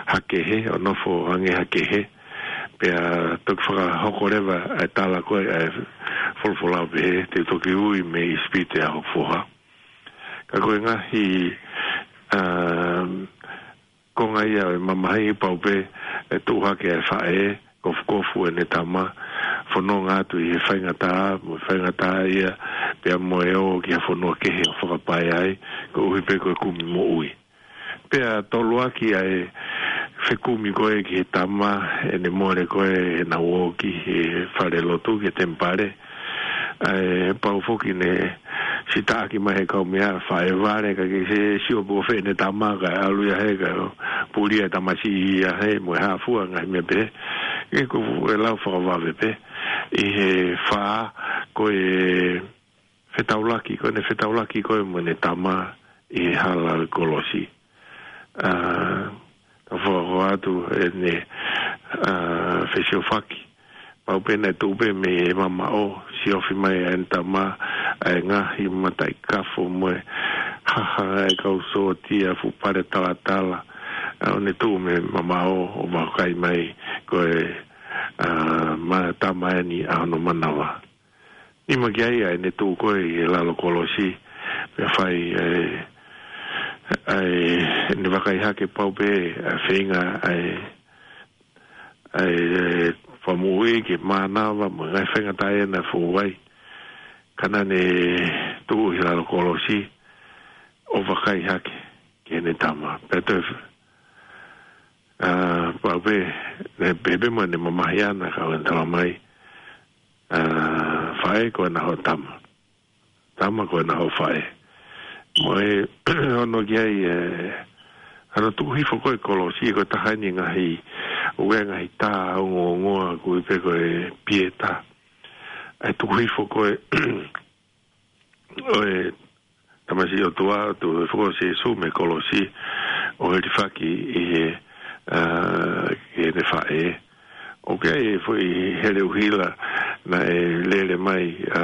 ha kehe, ʻo nofo ʻo hangē ha kehe. Pea toki fakahoko leva ʻa e tala ko ē ʻa e folofola ʻo pehē, te u toki ui mei ʻIsipite ʻa hoku foha. Ka ko e ngaahi, um, konga ia ʻo e mamahi pau pē ʻe tuʻu hake ʻa e faʻē, kofukofu ʻene tama, fononga atu ʻi he faingataʻa, mo e faingataʻaʻia, pea mo e ō ki ha fonua kehe ʻo fakapae ai, koeʻuhi pē ko e kumi moʻui. Pea toluaki ʻa e fekumi ko ē ki he tama, ʻene mole ko ē ʻenau ō ki he falelotu, ki he temipale. ʻA e pau foki ne sitaʻaki mai he kau meʻa faʻē vale, ka ke se sio pe ko fē ʻene tama, kae ʻalu ia he kae puli ʻa e tamasiʻi ia he mo e hā fua ngaahi meʻa pehē. Ke ko e lau fakavave pē. ʻI he fā ko e fetaulaki, ko ʻene fetaulaki ko ē mo ʻene tama ʻi he hala ʻo e kolosi. ʻA, ka fakahoa atu ʻene, ʻa, fesiofaki. Pau pē naʻe tuʻu pē mei he mamaʻo, siofi mai ʻa ʻene tama, ʻa e ngaahi mataʻikafo mo e haha ʻa e kau sōtia, fuʻu pale talatala. ʻA, ʻo ne tuʻu mei he mamaʻo ʻo vakai mai ko e, ʻa, ma-, tama eni ʻa hono manava. Nima ki ai ʻa ʻene tuʻu ko ē ʻi he lalo kolosi, pea fai ʻa e, ʻa e, ʻene vakai hake pau pē ʻa e feinga ʻa e, ʻa e, ʻa e fakamoʻui ke mānava mo e ngaahi faingataʻa naʻe fou ai. Ka naʻa ne tuʻu ʻi he lalo kolosi, ʻo vakai hake ki heʻene tama. Pea toe, ʻa, pau pē, ne pehē pē mo ʻene mamahi ʻana ka ʻoku ne tala mai, ʻa, faʻē ko ena ho tama. Tama ko ena ho faʻē. Mo e, ono ki ai, ʻe, ʻa hono tuku hifo ko ē kolosi, ko e taha eni ngaahi, ʻo e ngaahi tā ongoongoa, koeʻuhi pē ko e Pieta. ʻA e tuku hifo ko ē, ʻo e tamasiʻi ʻOtua, tuku hifo ko ē ʻo Sīsū mei he kolosi, ʻo hilifaki ʻi he, ʻa, ki heʻene faʻē. ʻOku ʻi ai e foʻi hele ʻuhila naʻe lele mai, ʻa,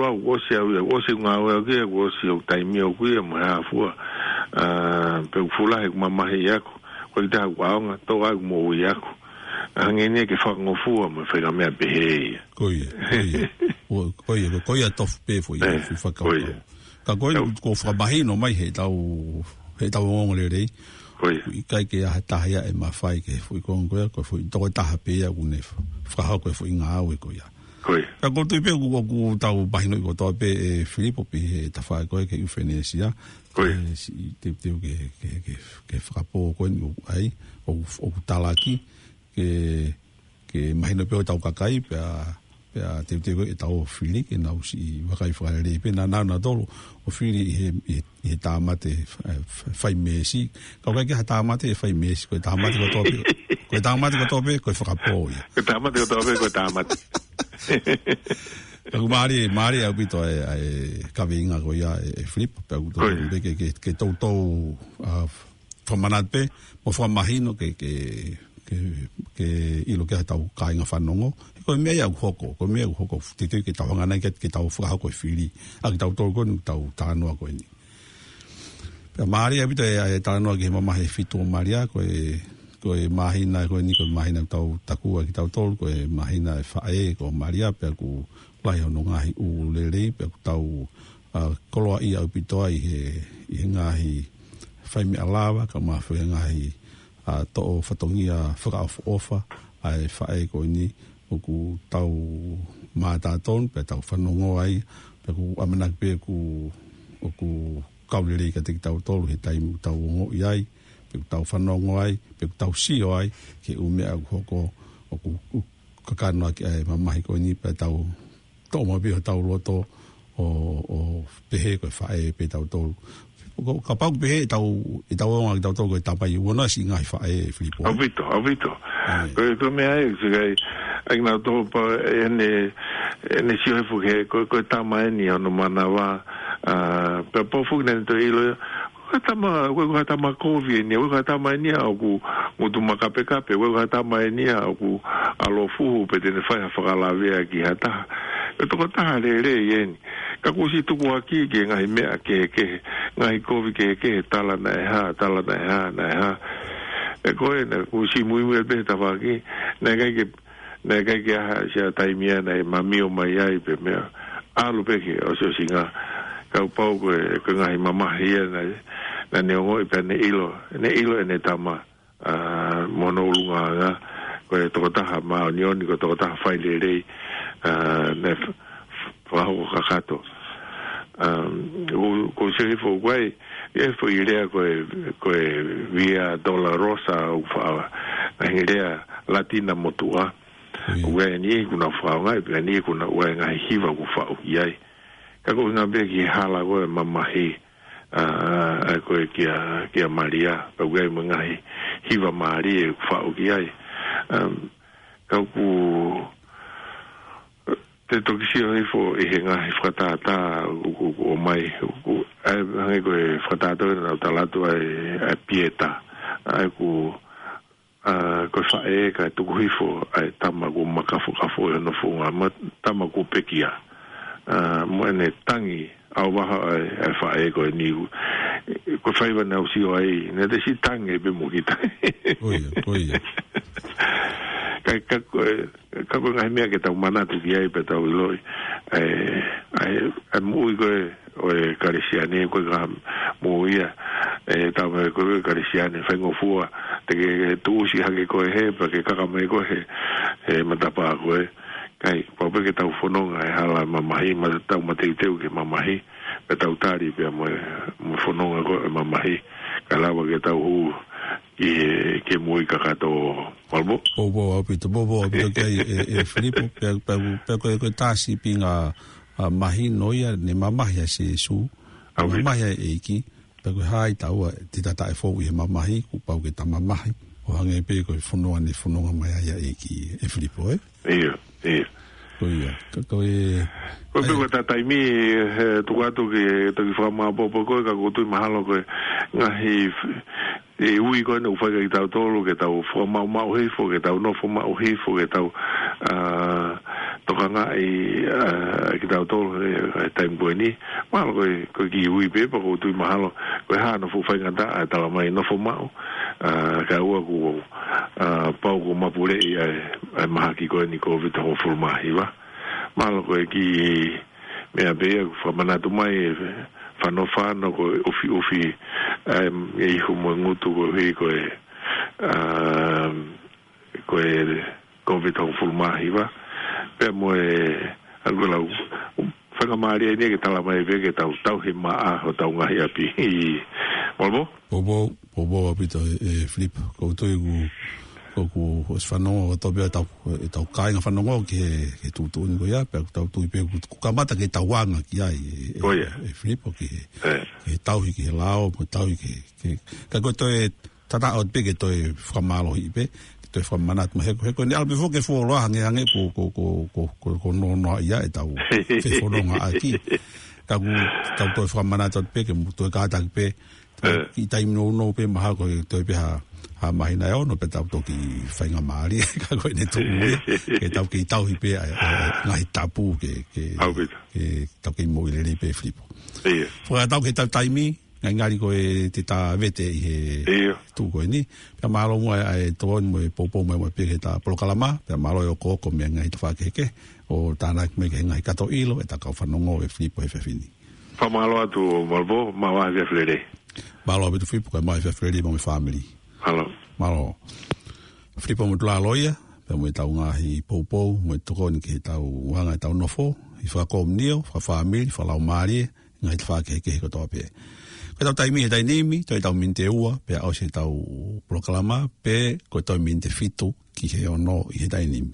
ʻalu au, ʻosi au ia, ʻosi ngāue au ki ai, ʻosi au taimi au ki ai, mo e hā fua. ʻA, pea u fuʻu lahi ʻeku mamahi ʻaʻaku. Ko e taha ʻaonga, tō ai ʻeku moʻui ʻaʻaku. ʻA, hangē nai ke fakangofua mo e fai ha meʻa pehē ia. Ko ia, ko ia. Ko, ko ia, ko, ko ia tofu pē foʻi, ʻE, foʻi fakakaukau. Ko ia. Ka ko e, ʻIo. Ko e fakamahino mai he tau, he tau ongoongolelei. Ko ia. ʻIkai ke ʻi ai ha taha ia ʻe mafai ke foʻi konga ko ia, ko e foʻi toko taha pē ia ʻoku ne fakahoko e foʻi ngāue ko ia. Ko ia. Ka ko e tui pē ʻoku, ʻoku tau mahinoʻi kotoa pē ʻe Filipo pē he tafaʻaki ko ē ki he ʻIufanesia. Ko ia. ʻE, siʻi teuteu ke, ke, ke, ke fakapō ko eni ʻoku ʻai, ʻoku, ʻoku talaki, ke, ke mahino pē ʻo tau kakai, pea Pea teuteu ʻetau fili ke nau siʻi vakai fakalelei pē naʻa nau na tolo ʻo fili ʻi he, ʻi he, ʻi he tāmate, eh, fai meesi. Ka ʻoku ʻikai ke ha tāmate ʻe fai meesi, ko e tāmate kotoa pē, ko e tāmate kotoa pē, ko e fakapō ia. Ko e tāmate kotoa pē, ko e tāmate. Ka ʻoku mālie, mālie ʻaupito e, e kaveinga ko ia e, e Filipo, pea ʻoku totonu pē ke, ke, ke toutou, ah, fakamanatu pē, mo fakamahino ke, ke, ke, ke ʻilo ki ai ʻetau kāinga fanongo. He ko e meʻa ia ʻoku hoko, ko e meʻa ʻoku hoko, teuteu ke tau hanga nai ke, ke tau fakahoko e fili. ʻA kitautolu ko eni ʻoku tau talanoa ko eni. Pea mālie ʻaupito e, e talanoa ki he mamahi ʻe fitu ʻo Malia, ko e, ko e māhina ko eni, ko e māhina ʻoku tau takua kitautolu, ko e māhina e faʻē ko Malia, pea ʻoku lahi hono ngaahi ʻū lelei, pea ʻoku tau, ah, koloaʻia ʻaupito ai he, ʻi he ngaahi fai meʻa lava, kae ʻumaʻā foki e ngaahi, ah, toʻo fatongia fakaʻofoʻofa ʻa e faʻē ko eni ʻoku tau mātā tonu, pea tau fanongo ai, pea ʻoku ʻamanaki pē ʻoku, ʻoku kau lelei kiate kitautolu he taimi ʻoku tau ongoʻi ai, pea ʻoku tau fanongo ai, pea ʻoku tau sio ai, ki he ʻū meʻa ʻoku hoko, ʻoku, ʻoku kakano ʻaki ʻa e mamahi ko eni pea tau toʻo maʻu pē ʻi hotau loto ʻo, ʻo pehē ko e faʻē pē tautolu. Ko, kapau ʻoku pehē ʻetau, ʻetau ongoʻi kitautolu ko e tamai, ʻoua naʻa siʻi ngaahi faʻē, Filipo. ʻAupito, ʻaupito. ʻAi. Ko e, ko e meʻa ē, siʻi kai, ʻai kinautolu pē ʻene, ʻene sio hifo ki he, ko, ko e tama eni hono manava, ah, pea pau foki naʻa ne toe ʻilo, ko e tama, ko e, ko e tama kovi eni, ko e tama eni ʻoku ngutu makapekape, ko e tama eni ʻoku ʻalofuhu pe te ne fai ha fakalavea ki ha taha. Ko e tokotaha lelei eni. Ka kuo ʻosi tukuakiʻi ki he ngaahi meʻa kehekehe, ngaahi kovi kehekehe, tala naʻe hā, tala naʻe hā, naʻe hā. Ē ko ē, naʻa ku ʻosi muimui pē he tafaʻaki, naʻe ʻikai ke, naʻe ʻikai ke ʻi ai ha taimi ia naʻe mamio mai ai pe meʻa. ʻAlu pē ki he ʻosiʻosinga. Kapau ko e, ko e ngaahi mamahi ia naʻe, naʻa ne ongoʻi pea ne ʻilo, ne ʻilo ʻene tama, ah, mo hono ʻulungaanga, ko e tokotaha māʻoniʻoni, ko e tokotaha failelei, ah, naʻe f-, f-, fakahoko kakato. Ah, ko, ko e sio hifo ko ē, e foʻi lea ko e, ko e Via Dolorosa ʻoku fa-, ngaahi lea Latina motuʻa. ʻIo. ʻOku ʻi ai e niʻihi ʻoku nau fakaongoʻi, pea niʻihi ʻoku nau ʻi ai e ngaahi hiva ʻoku faʻu ki ai. Ka ko e ʻuhinga pē ki he hala ko e mamahi, ah, ʻa ē ko ē kia, kia Malia, pea ʻoku ʻi ai mo e ngaahi hiva mālie ʻoku faʻu ki ai. Um, ka ʻoku te toki sio hifo ʻi he ngaahi fakatātā ʻoku, ʻoku, ʻoku ʻomai, ʻoku, ʻa e hangē ko e fakatātā naʻa ku tala atu ʻa e, ʻa e Pieta, ʻa ē ʻoku, ah, ko e faʻē kae tuku hifo ʻa e tama kuo makafokafo ʻi hono founga, mo e tama kuo pekia. Ah, mo ʻene tangi ʻauvaha ʻa e, ʻa e faʻē ko eni, ko e faiva naʻa ku sio ai, naʻe te siʻi tangi pē mo kita. Ko ia, ko ia. Ka, ka, ko e, ka ko e ngaahi meʻa ke tau manatu ki ai pea tau ʻiloʻi. ʻA e, ʻa e, ʻa e moʻui ko ē ʻo e Kalisitiane, ko e ka mo ia, ē, tau mai ko e Kalisitiane, faingofua, te ke tuʻusi hake koe hē, pea ke kaka mai koe he, he matapā ko ē. Ka ʻoku pau pē ke tau fononga he hala mamahi, ma tau mateuteu ki he mamahi, pea tau tali pea mo e, mo e fononga ko e mamahi, kae lava ke tau hū ki he, ki he moʻui kakato, Malmo. Poupou ʻaupito, poupou ʻaupito ki ai e, e Filipo, pea, pea, pea ko e, ko e tā sīpinga, ah, mahino ia, ne mamahi ʻa Sīsū, ʻAupito. Mamahi ʻa e ʻEiki, pea ko e hā ʻi taua te ta taʻefou ʻi he mamahi, kuo pau ke ta mamahi, ʻo hangē pē ko e fononga ne fononga mai ai ʻa e ʻEiki, e Filipo, ē? ʻIo, ʻio. Ko ia, ka ko e, ko e pē ʻai. Ko e tā taimi, he tuku atu ke toki fakamāpopo ko ē, ka ʻoku ou tui mahalo ko e ngaahi f-, e ui ko ē naʻa ku fai kia kitautolu, ke tau fakamaʻumaʻu hifo, ke tau nofo maʻu hifo, ke tau, ah, tokangaʻi, ah, kitautolu he, he taimi ko eni. Mahalo ko e, ko e kiʻi ui pē, pea ʻoku ou tui mahalo, ko e hā hono fuʻu faingataʻa e tala mai nofo maʻu, ah, kae ʻoua kuo, ah, pau kuo mapuleʻi ʻa e, ʻa e mahaki ko eni Kōviti hongofulu mā hiva. Mahalo ko e kiʻi meʻa pē ia ʻoku fakamanatu mai e fanofano ko e ʻufiʻufi, em, e ihu mo e ngutu koeʻuhi ko e, um, ko e Kōviti hongofulu mā hiva. Pea mo e, ʻa ia ko e lau, faingamālie eni ke tala mai pē ke tau tauhi maʻa hotau ngaahi ʻapi. Malmo? Poupou, poupou ʻaupito e, e Filipo. ʻOku ou tui ʻoku ʻOku ʻosi fanongo kotoa pē ʻetau, ʻetau kāinga fanongo ki he, ki he tuʻutuʻuni ko ia, pea ʻoku tau tui pē ʻoku, ʻoku kamata ke tau anga ki ai, ʻe, ʻe, ʻe Filipo ki he, ki he tauhi ki he lao, mo e tauhi ki he, ki he, ka ko e toe tataʻo pē ke toe fakamālohiʻi pē, ke toe fakamanatu mai he ko e, he ko e ʻalu pē foki e fuoloa hangē, hangē ko, ko, ko, ko, ko, ko nonoa ia ʻetau fefonongaʻaki. Ka ʻoku tau toe fakamanatu atu pē ke mou toe kātaki pē, ʻi taimi nounou pē mahalo ko e toe pē ha, ha māhina ʻe ono pea tau toki faingamālie, ka ko ʻene tuʻu ia, ke tau kei tauhi pē ʻa e, ʻa e, ʻa e ngaahi tapu ke, ke, ke tau kei moʻui lelei pē Filipo. Fakatau ke tau taimi, ngalingali ko e te tā vete ʻi he tuʻu ko eni. Pea mālō muʻa ʻa e tokoni mo e poupou mai mo e pē ke tā polokalama, pea mālō e ʻokoʻoko mei he ngaahi tafaʻaki kehekehe, ʻo tānaki mai ki he ngaahi kato ʻilo ʻetau kau fanongo ʻe Filipo he efiafi ni. Fakamālō atu Malvo, maʻu ʻa e efiafi lelei. Mālō ʻaupito Filipo, kae maʻu e efiafi lelei mo e fāmili. Mālō. Mālō. Filipo Motulalo ia, pea mo ʻetau ngaahi poupou, mo e tokoni ki heʻetau anga ʻetau nofo, ʻi he fakakomiunitī, fakafāmili, fakalaumālie, ngaahi tafaʻaki kehekehe kotoa pē. Ko ʻetau taimi he taimi ni, toe ʻetau miniti ʻe ua, pea ʻosi ʻetau polokalama, pe ko e toe miniti ʻe fitu, ki he ono ʻi he taimi ni.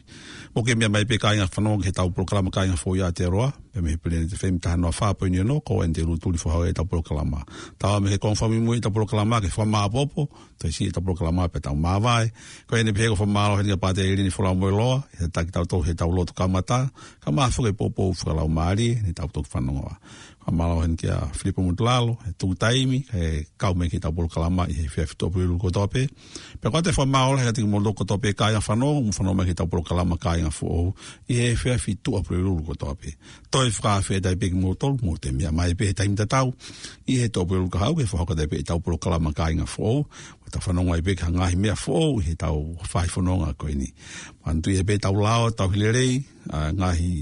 Mou kei meʻa mai pē kāinga fanongo ki heʻetau polokalama Kāinga Foʻou ʻi Aotearoa, pea mei he Planet F M taha noa fā poini ono, ko eni te u tuli fakahoko ʻetau polokalama. Tau ō mai ki he konga fakamuimui ʻetau polokalama ke fakamāopoopo, toe siʻi ʻetau polokalama pea tau māvae. Ko eni pē he ʻoku fakamālō heni kia Pātele ʻIlini Folau Moeloa, he taki tau tau heʻetau lotu kamata, kae ʻumaʻā foki e poupou fakalaumālie, ne tau toki fanongoa. Fakamālō heni kia Filipo Motulalo, he tuku taimi, he kau mai ki heʻetau polokalama ʻi he efiafi Tuʻapulelulu kotoa pē. Pea ʻoku ou fakamālō heni kiate kimoutolu kotoa pē kāinga fanongo, mou fanongo mai ki heʻetau polokalama Kāinga Foʻou, ʻi he efiafi Tuʻapulelulu kotoa pē. Toe fakafetaʻi pē kimoutolu, mou toe meʻa mai pē he taimi tatau, ʻi he Tuʻapulelulu kahaʻu ke fakahoko atu pē ʻetau polokalama Kāinga Foʻou, ʻo tau fanongo ai pē ki ha ngaahi meʻa foʻou, ʻi heʻetau fai fononga ko eni. Manatuʻi pē ʻetau lao, tauhi lelei, ʻa e ngaahi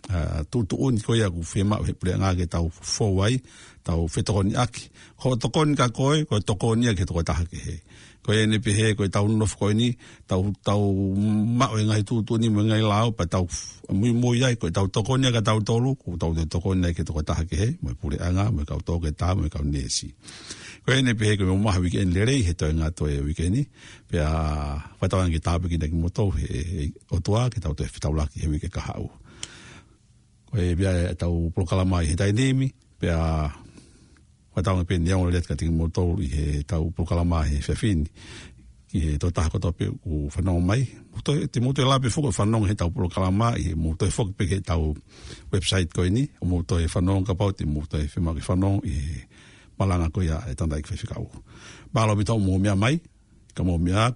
ʻa, tuʻutuʻuni ko ia ʻoku fiemaʻu he puleʻanga ke tau fou ai, tau fetokoniʻaki. Ko e tokoni kia koe, ko e tokoni ia ki he tokotaha kehe. Ko eni pē he, ko ʻetau nofo ko eni, tau, tau maʻu e ngaahi tuʻutuʻuni mo e ngaahi lao, pea tau f-, muimui ai, ko ʻetau tokoni ia kia tautolu, ko ʻetau tokoni ia ki he tokotaha kehe, mo e puleʻanga, mo e kau toketā, mo e kau neesi. Ko eni pē he ko e mou maʻu ha uike eni lelei, he toe ngata e uike ni, pea fakatauange ke tāpuekina kimoutolu he, he ʻOtua, ke tau toe fetaulaki he uike kahaʻu. Ko e pea ʻetau polokalama ʻi he taimi ni, pea fakatauange pē ne ongo lelei atu kiate kimoutolu ʻi heʻetau polokalama he efiafi ni. Ki he tokotaha kotoa pē ʻoku fanongo mai. Mou toe, te mou toe lava pē foki ʻo fanongo heʻetau polokalama ʻi he mou toe foki pē ki heʻetau website ko eni, ʻo mou toe fanongo kapau te mou toe fiemaʻu ke fanongo ʻi he malanga ko ia ʻa e tangataʻeiki faifekau. Mālō ʻaupito hoʻomou meʻa mai, ka mou meʻa